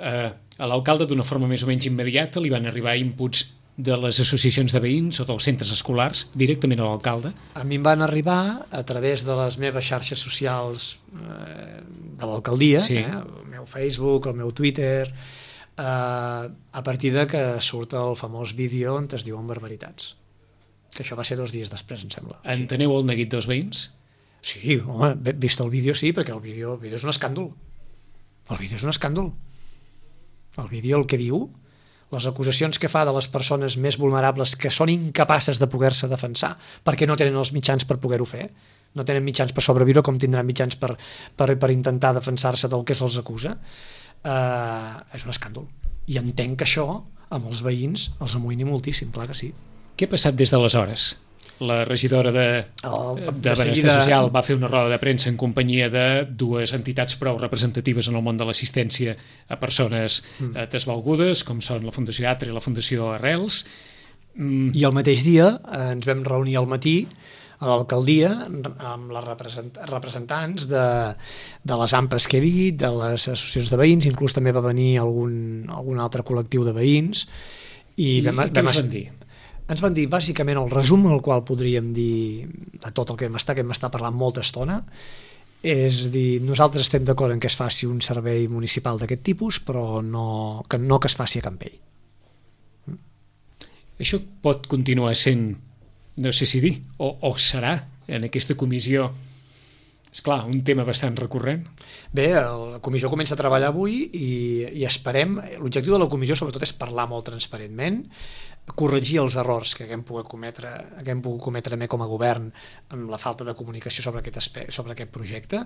eh, a l'alcalde d'una forma més o menys immediata li van arribar inputs de les associacions de veïns o dels centres escolars directament a l'alcalde? A mi em van arribar a través de les meves xarxes socials eh, de l'alcaldia, sí. eh, el meu Facebook, el meu Twitter, eh, a partir de que surt el famós vídeo on es diuen barbaritats. Que això va ser dos dies després, em sembla. Enteneu el neguit dels veïns? Sí, home, vist el vídeo sí, perquè el vídeo, el vídeo és un escàndol. El vídeo és un escàndol. El vídeo el que diu, les acusacions que fa de les persones més vulnerables que són incapaces de poder-se defensar perquè no tenen els mitjans per poder-ho fer, no tenen mitjans per sobreviure com tindran mitjans per, per, per intentar defensar-se del que se'ls acusa, eh, és un escàndol. I entenc que això amb els veïns els amoïni moltíssim, clar que sí. Què ha passat des d'aleshores? La regidora de, oh, de, de Benestar seguida... Social va fer una roda de premsa en companyia de dues entitats prou representatives en el món de l'assistència a persones mm. desvalgudes, com són la Fundació Atre i la Fundació Arrels. Mm. I el mateix dia eh, ens vam reunir al matí a l'alcaldia amb les represent representants de, de les AMPAs que he dit, de les associacions de veïns, inclús també va venir algun, algun altre col·lectiu de veïns. I, I vam, què vam, ens van dir? Ens van dir, bàsicament, el resum el qual podríem dir de tot el que hem estat, que hem estat parlant molta estona, és dir, nosaltres estem d'acord en que es faci un servei municipal d'aquest tipus, però no que, no que es faci a Campell. Això pot continuar sent, no sé si dir, o, o serà en aquesta comissió, és clar, un tema bastant recurrent. Bé, la comissió comença a treballar avui i, i esperem, l'objectiu de la comissió sobretot és parlar molt transparentment, corregir els errors que haguem pogut cometre, haguem pogut cometre també com a govern amb la falta de comunicació sobre aquest, sobre aquest projecte,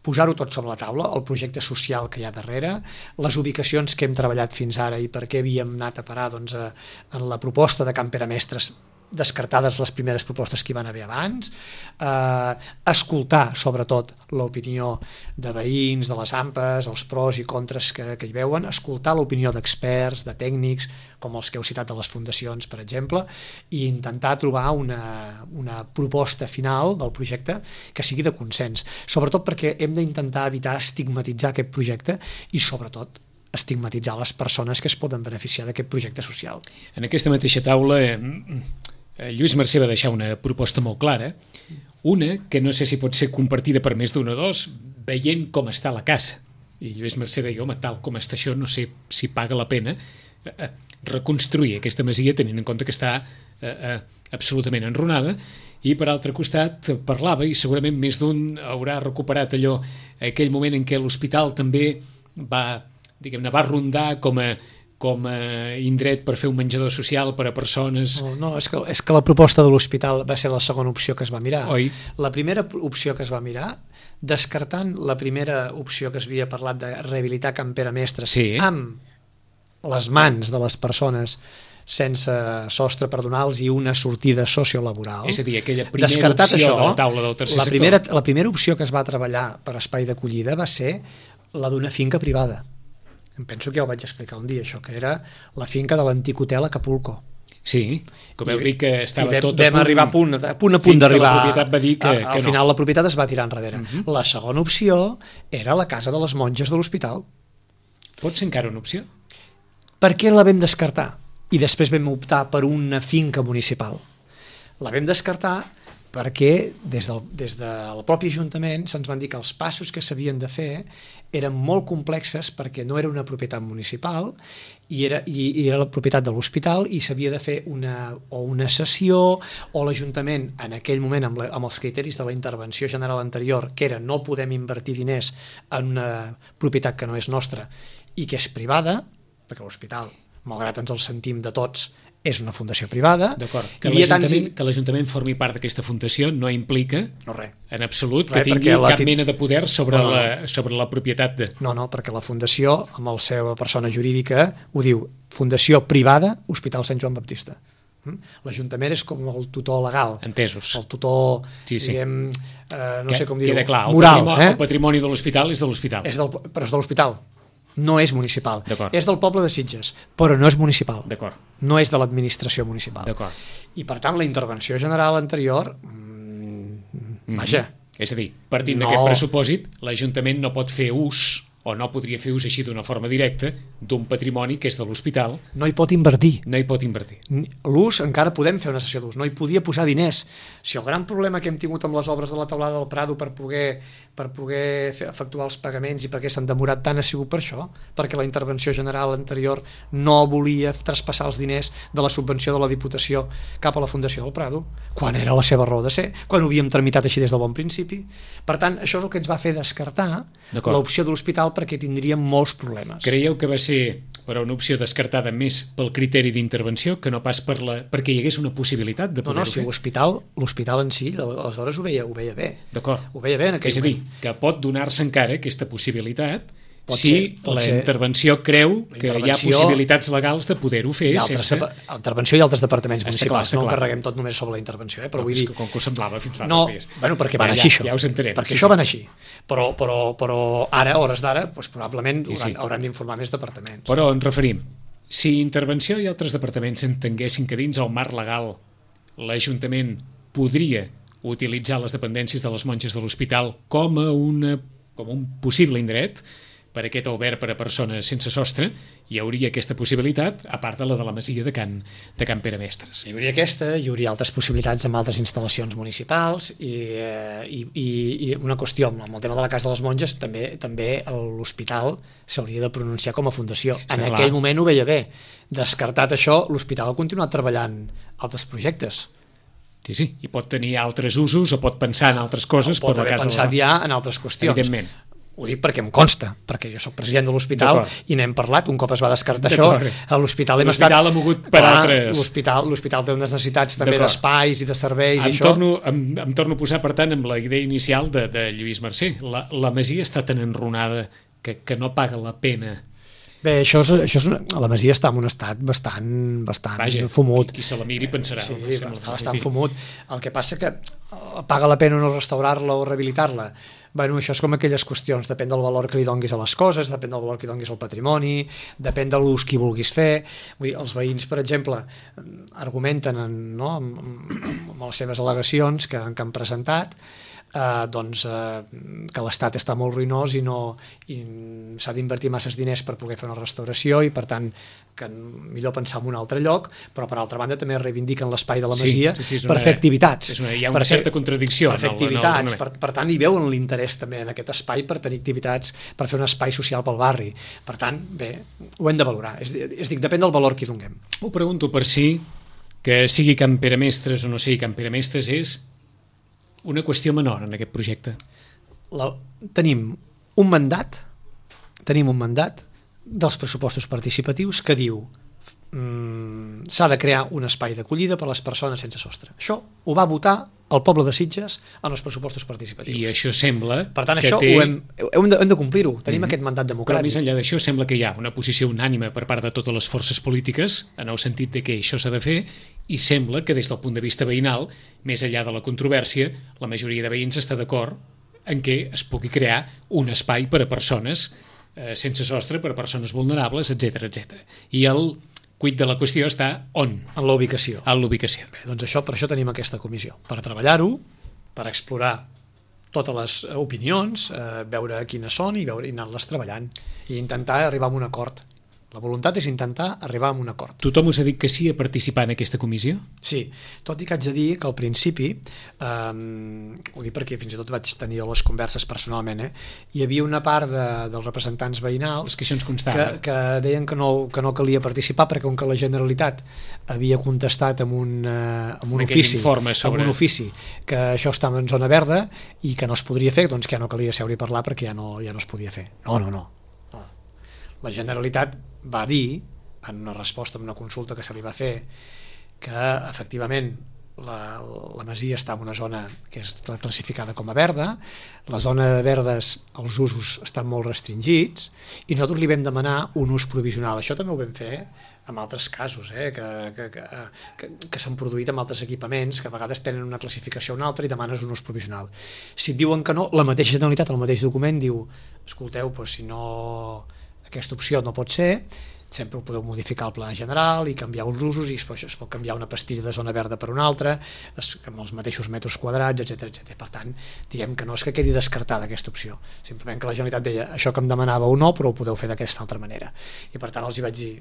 posar-ho tot sobre la taula, el projecte social que hi ha darrere, les ubicacions que hem treballat fins ara i per què havíem anat a parar doncs, a, en la proposta de Can Pere Mestres, descartades les primeres propostes que hi van haver abans, eh, escoltar sobretot l'opinió de veïns, de les AMPAs, els pros i contres que, que hi veuen, escoltar l'opinió d'experts, de tècnics, com els que heu citat de les fundacions, per exemple, i intentar trobar una, una proposta final del projecte que sigui de consens, sobretot perquè hem d'intentar evitar estigmatitzar aquest projecte i sobretot estigmatitzar les persones que es poden beneficiar d'aquest projecte social. En aquesta mateixa taula eh, Lluís Mercè va deixar una proposta molt clara, una que no sé si pot ser compartida per més d'un o dos, veient com està la casa. I Lluís Mercè deia, home, tal com està això, no sé si paga la pena eh, reconstruir aquesta masia tenint en compte que està eh, eh, absolutament enrunada. I per altre costat parlava, i segurament més d'un haurà recuperat allò, aquell moment en què l'hospital també va, diguem-ne, va rondar com a com a indret per fer un menjador social per a persones... No, no és, que, és que la proposta de l'hospital va ser la segona opció que es va mirar. Oi? La primera opció que es va mirar descartant la primera opció que es havia parlat de rehabilitar Can Pere Mestres sí. amb les mans de les persones sense sostre per donar-los i una sortida sociolaboral. És a dir, aquella primera Descartat opció això, de la taula del tercer la sector. primera, la primera opció que es va treballar per espai d'acollida va ser la d'una finca privada. Em penso que ja ho vaig explicar un dia, això, que era la finca de l'antic hotel Acapulco. Sí, que veu dir que estava vam, tot a vam punt, arribar a punt, a punt, a punt fins d'arribar. que la propietat va dir que, a, que al no. final la propietat es va tirar enrere. Uh-huh. La segona opció era la casa de les monges de l'hospital. Pot ser encara una opció? Per què la vam descartar? I després vam optar per una finca municipal. La vam descartar perquè des del, des del propi Ajuntament se'ns van dir que els passos que s'havien de fer eren molt complexes perquè no era una propietat municipal i era, i, i era la propietat de l'hospital i s'havia de fer una, o una cessió o l'Ajuntament en aquell moment amb, la, amb els criteris de la intervenció general anterior, que era no podem invertir diners en una propietat que no és nostra i que és privada, perquè l'hospital, malgrat ens el sentim de tots, és una fundació privada. D'acord, que l'Ajuntament tants... que l'Ajuntament formi part d'aquesta fundació no implica no, res. en absolut res, que tingui cap tit... mena de poder sobre, no, no, no. La, sobre la propietat de... No, no, perquè la fundació, amb la seva persona jurídica, ho diu, Fundació Privada Hospital Sant Joan Baptista. L'Ajuntament és com el tutor legal. Entesos. El tutor, sí, sí. diguem, eh, no que, sé com dir-ho, queda clar, moral. El patrimoni, eh? el patrimoni de l'hospital és de l'hospital. És del, però és de l'hospital. No és municipal. És del poble de Sitges, però no és municipal. No és de l'administració municipal. I per tant la intervenció general anterior mmm, vaja. Mm-hmm. És a dir, partint no. d'aquest pressupòsit, l'Ajuntament no pot fer ús o no podria fer ús així d'una forma directa d'un patrimoni que és de l'hospital. No hi pot invertir. No hi pot invertir. L'ús, encara podem fer una sessió d'ús, no hi podia posar diners. Si el gran problema que hem tingut amb les obres de la Teulada del Prado per poder, per poder fer, efectuar els pagaments i perquè s'han demorat tant ha sigut per això, perquè la intervenció general anterior no volia traspassar els diners de la subvenció de la Diputació cap a la Fundació del Prado, quan era la seva raó de ser, quan ho havíem tramitat així des del bon principi. Per tant, això és el que ens va fer descartar l'opció de l'hospital perquè tindríem molts problemes. Creieu que va ser per una opció descartada més pel criteri d'intervenció que no pas per la, perquè hi hagués una possibilitat de poder-ho no, no, si fer? L'hospital, l'hospital en si, aleshores ho veia, ho veia bé. D'acord. Ho veia bé en aquell És a dir, moment. que pot donar-se encara aquesta possibilitat pot si ser, pot la ser. intervenció creu la que hi ha possibilitats legals de poder-ho fer sense... La intervenció i altres departaments està municipals, clar, no ho clar. carreguem tot només sobre la intervenció, eh? Però no, vull dir... Com que ho semblava fins fa no, dos dies. Bueno, perquè van ja, així això. Ja us entenem. Perquè sí, això sí. van així. Però, però, però ara, a hores d'ara, doncs, probablement sí, sí. hauran, hauran d'informar més departaments. Però ens referim, si intervenció i altres departaments entenguessin que dins el marc legal l'Ajuntament podria utilitzar les dependències de les monges de l'hospital com a una, com un possible indret per aquest obert per a persones sense sostre, hi hauria aquesta possibilitat, a part de la de la masia de Can, de Can Pere Mestres. Hi hauria aquesta, hi hauria altres possibilitats amb altres instal·lacions municipals i, i, i, i una qüestió amb el tema de la Casa de les Monges, també també l'hospital s'hauria de pronunciar com a fundació. Està en clar. Aquell moment ho veia bé. Descartat això, l'hospital ha continuat treballant altres projectes. Sí, sí, i pot tenir altres usos o pot pensar en altres coses. O pot per la haver casa pensat de la... ja en altres qüestions. Evidentment. Ho dic perquè em consta, perquè jo soc president de l'hospital i n'hem parlat, un cop es va descartar això, a l'hospital hem estat... L'hospital ha mogut per clar, altres... L'hospital té unes necessitats també d'espais i de serveis em i això. Torno, em, em torno a posar, per tant, amb la idea inicial de, de Lluís Mercè. La, la masia està tan enrunada que, que no paga la pena. Bé, això és, això és una, la masia està en un estat bastant, bastant Vaja, fumut. Qui, qui se la miri pensarà. Sí, no sé, està bastant fumut. El que passa que paga la pena no restaurar-la o rehabilitar-la. Bueno, això és com aquelles qüestions, depèn del valor que li donguis a les coses, depèn del valor que li donguis al patrimoni, depèn de l'ús que hi vulguis fer. Vull dir, els veïns, per exemple, argumenten en, no, amb, amb les seves al·legacions que, que han presentat, eh, doncs, eh, que l'estat està molt ruïnós i, no, i s'ha d'invertir masses diners per poder fer una restauració i, per tant, que millor pensar en un altre lloc, però per altra banda també reivindiquen l'espai de la masia sí, sí, sí, per una, fer activitats. És una, hi ha una certa contradicció per fer activitats, per, per tant hi veuen l'interès també en aquest espai per tenir activitats, per fer un espai social pel barri. Per tant, bé, ho hem de valorar, és, és dir, depèn del valor que hi donem. Ho pregunto per si que sigui Can Pere Mestres o no sigui Can Pere Mestres és una qüestió menor en aquest projecte. La, tenim un mandat tenim un mandat dels pressupostos participatius que diu mm, s'ha de crear un espai d'acollida per a les persones sense sostre. Això ho va votar el poble de Sitges en els pressupostos participatius. I això sembla per tant, que això té... ho hem, hem de, hem de complir-ho, tenim mm-hmm. aquest mandat Però democràtic. més enllà d'això sembla que hi ha una posició unànime per part de totes les forces polítiques en el sentit de que això s'ha de fer, i sembla que des del punt de vista veïnal, més enllà de la controvèrsia, la majoria de veïns està d'acord en què es pugui crear un espai per a persones eh, sense sostre, per a persones vulnerables, etcètera, etcètera. I el quid de la qüestió està on? En la ubicació. En l'ubicació. Bé, doncs això, per això tenim aquesta comissió, per treballar-ho, per explorar totes les opinions, eh, veure quines són i, veure, i anar-les treballant i intentar arribar a un acord. La voluntat és intentar arribar a un acord. Tothom us ha dit que sí a participar en aquesta comissió? Sí, tot i que haig de dir que al principi, eh, ho dic perquè fins i tot vaig tenir les converses personalment, eh, hi havia una part de, dels representants veïnals que, que, que deien que no, que no calia participar perquè com que la Generalitat havia contestat amb un, eh, amb un, ofici, sobre... amb un ofici que això estava en zona verda i que no es podria fer, doncs que ja no calia seure i parlar perquè ja no, ja no es podia fer. No, no, no. no. La Generalitat va dir, en una resposta a una consulta que se li va fer, que efectivament la, la masia està en una zona que és classificada com a verda, la zona de verdes, els usos estan molt restringits, i nosaltres li vam demanar un ús provisional. Això també ho vam fer en altres casos, eh, que, que, que, que, que s'han produït amb altres equipaments, que a vegades tenen una classificació o una altra i demanes un ús provisional. Si et diuen que no, la mateixa Generalitat, el mateix document, diu, escolteu, doncs si no... aquesta opció no pot ser, sempre ho podeu modificar el pla general i canviar els usos i es pot, es pot canviar una pastilla de zona verda per una altra es, amb els mateixos metres quadrats, etcètera, etcètera. Per tant, diguem que no és que quedi descartada aquesta opció, simplement que la Generalitat deia això que em demanava o no, però ho podeu fer d'aquesta altra manera. I per tant els hi vaig dir,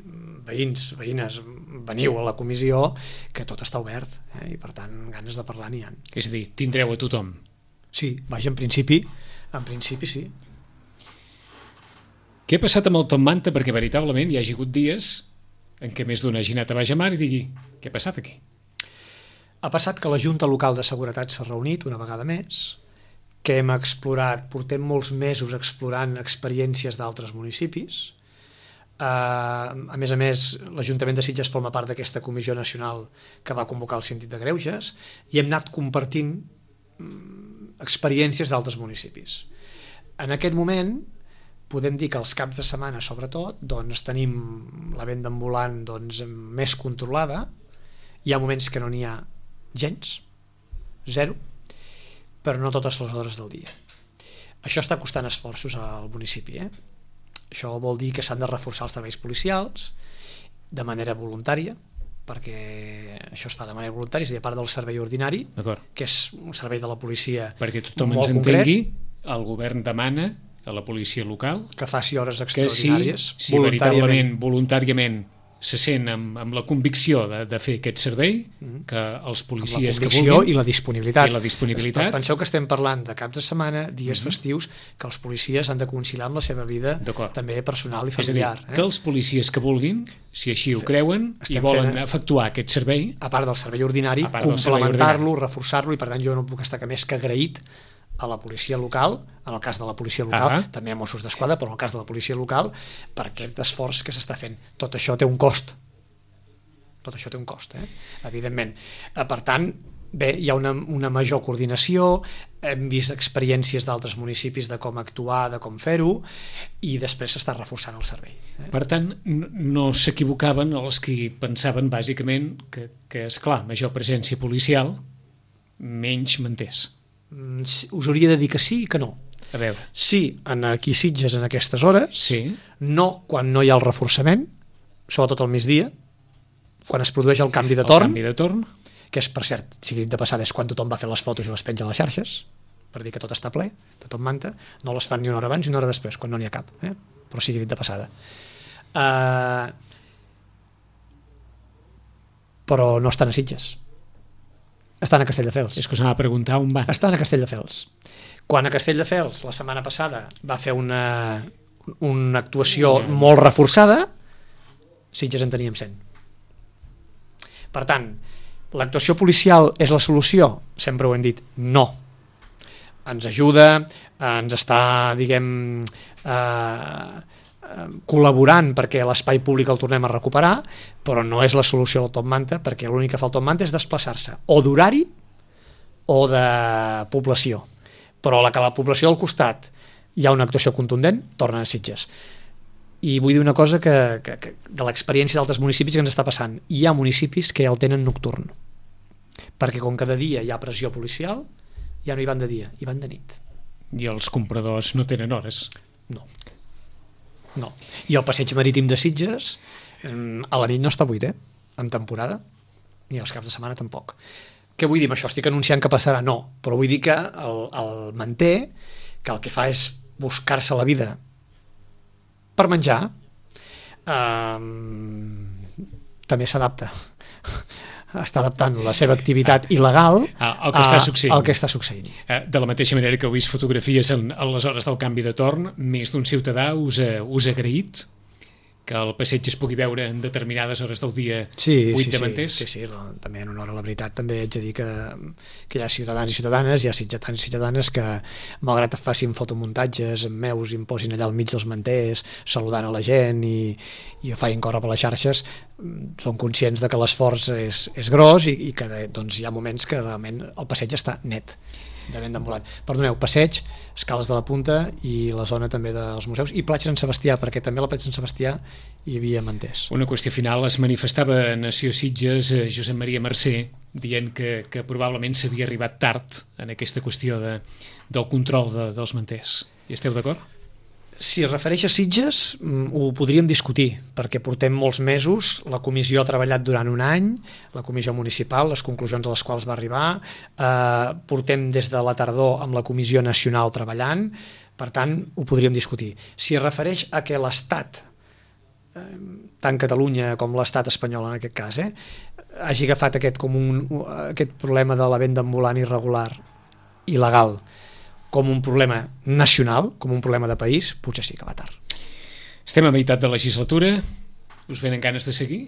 veïns, veïnes, veniu a la comissió, que tot està obert, eh? I per tant ganes de parlar n'hi ha. És a dir, tindreu a tothom. Sí, vaja, en principi, en principi sí. Què ha passat amb el Top Manta? Perquè veritablement hi ha hagut dies en què més d'una hagi anat a baix a mar i digui, què ha passat aquí? Ha passat que la Junta Local de Seguretat s'ha reunit una vegada més, que hem explorat, portem molts mesos explorant experiències d'altres municipis. Uh, a més a més, l'Ajuntament de Sitges forma part d'aquesta comissió nacional que va convocar el Síndic de Greuges i hem anat compartint um, experiències d'altres municipis. En aquest moment podem dir que els caps de setmana, sobretot, doncs tenim la venda ambulant doncs, més controlada. Hi ha moments que no n'hi ha gens, zero, però no totes les hores del dia. Això està costant esforços al municipi. Eh? Això vol dir que s'han de reforçar els serveis policials de manera voluntària, perquè això es fa de manera voluntària, és a dir, a part del servei ordinari, que és un servei de la policia molt concret. Perquè tothom ens entengui, el govern demana a la policia local que faci hores extraordinàries que si, si veritablement voluntàriament se sent amb, amb la convicció de, de fer aquest servei, mm-hmm. que els policies que vulguin i la disponibilitat. I la disponibilitat. Penseu que estem parlant de caps de setmana, dies mm-hmm. festius, que els policies han de conciliar amb la seva vida també personal i familiar. És a dir, que els policies que vulguin, si així ho creuen estem i volen fent, efectuar aquest servei, a part del servei ordinari, complementar-lo, reforçar-lo, i per tant jo no puc estar que més que agraït a la policia local, en el cas de la policia local, ah. també a Mossos d'Esquadra, però en el cas de la policia local, per aquest esforç que s'està fent. Tot això té un cost. Tot això té un cost, eh? Evidentment. Per tant, bé, hi ha una, una major coordinació, hem vist experiències d'altres municipis de com actuar, de com fer-ho, i després s'està reforçant el servei. Eh? Per tant, no s'equivocaven els que pensaven, bàsicament, que, que esclar, major presència policial, menys manters. Us hauria de dir que sí i que no. A veure. Sí, en aquí Sitges en aquestes hores, sí. No quan no hi ha el reforçament, sobretot al migdia, quan es produeix el canvi de torn, el canvi de torn, que és, per cert, sigui dit de passada, és quan tothom va fer les fotos i les penja a les xarxes, per dir que tot està ple, tot manta, no les fan ni una hora abans ni una hora després, quan no n'hi ha cap, eh? Però sigui dit de passada. Uh, però no estan a Sitges. Estan a Castelldefels. És que us anava a preguntar on van. Estan a Castelldefels. Quan a Castelldefels la setmana passada va fer una, una actuació yeah. molt reforçada, Sitges en teníem cent. Per tant, l'actuació policial és la solució? Sempre ho hem dit, no. Ens ajuda, ens està, diguem, eh, col·laborant perquè l'espai públic el tornem a recuperar, però no és la solució del top manta, perquè l'únic que fa el top manta és desplaçar-se o d'horari o de població, però la que la població al costat hi ha una actuació contundent, tornen a Sitges. I vull dir una cosa que, que, que de l'experiència d'altres municipis que ens està passant, hi ha municipis que ja el tenen nocturn, perquè com que de dia hi ha pressió policial, ja no hi van de dia, hi van de nit. I els compradors no tenen hores? No. No. I el passeig marítim de Sitges a la nit no està buit, eh? En temporada, ni els caps de setmana tampoc. Què vull dir amb això? Estic anunciant que passarà? No, però vull dir que el, el manté, que el que fa és buscar-se la vida per menjar, eh, també s'adapta. Està adaptant la seva activitat ah, il·legal ah, al que està succeint. Al que està succeint. Eh, de la mateixa manera que heu vist fotografies en, en les hores del canvi de torn, més d'un ciutadà us ha, us ha agraït que el passeig es pugui veure en determinades hores del dia sí, buit sí, de manters? Sí, sí, sí, també en honor a la veritat també haig de dir que, que hi ha ciutadans i ciutadanes, hi ha sitgetans i ciutadanes que malgrat que facin fotomuntatges amb meus i em posin allà al mig dels manters saludant a la gent i, i ho facin córrer per les xarxes, són conscients de que l'esforç és, és gros i, i que doncs, hi ha moments que realment el passeig està net de vent d'ambulant. Perdoneu, passeig, escales de la Punta i la zona també dels museus i platja Sant Sebastià, perquè també a la platja Sant Sebastià hi havia manters. Una qüestió final, es manifestava a Nació Sitges eh, Josep Maria Mercè dient que, que probablement s'havia arribat tard en aquesta qüestió de, del control de, dels manters. Hi esteu d'acord? Si es refereix a Sitges, ho podríem discutir, perquè portem molts mesos, la comissió ha treballat durant un any, la comissió municipal, les conclusions a les quals va arribar, eh, portem des de la tardor amb la comissió nacional treballant, per tant, ho podríem discutir. Si es refereix a que l'Estat, eh, tant Catalunya com l'Estat espanyol en aquest cas, eh, hagi agafat aquest, com un, aquest problema de la venda ambulant irregular, il·legal, com un problema nacional, com un problema de país, potser sí que va tard. Estem a meitat de legislatura, us venen ganes de seguir?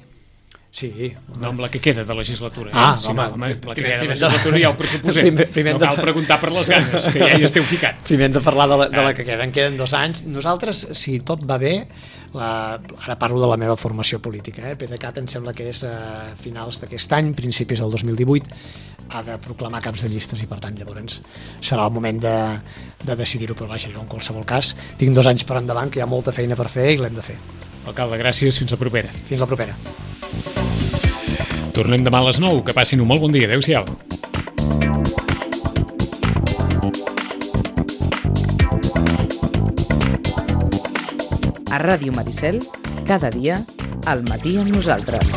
Sí. No amb la que queda de legislatura. Ah, eh? sí, home, no, home, la que primer, queda de legislatura ja ho pressuposem. Primer, primer no cal de... preguntar per les ganes, que ja hi esteu ficat. Primer hem de parlar de la, de la que queda. En queden dos anys. Nosaltres, si tot va bé, la, ara parlo de la meva formació política, eh? PDeCAT em sembla que és a finals d'aquest any, principis del dos mil divuit, ha de proclamar caps de llistes i per tant llavors serà el moment de, de decidir-ho, però vaja, jo en qualsevol cas tinc dos anys per endavant que hi ha molta feina per fer i l'hem de fer. Alcalde, gràcies, fins la propera. Fins la propera. Tornem demà a les nou, que passin un molt bon dia, adeu-siau. A Ràdio Maricel, cada dia, al matí amb nosaltres.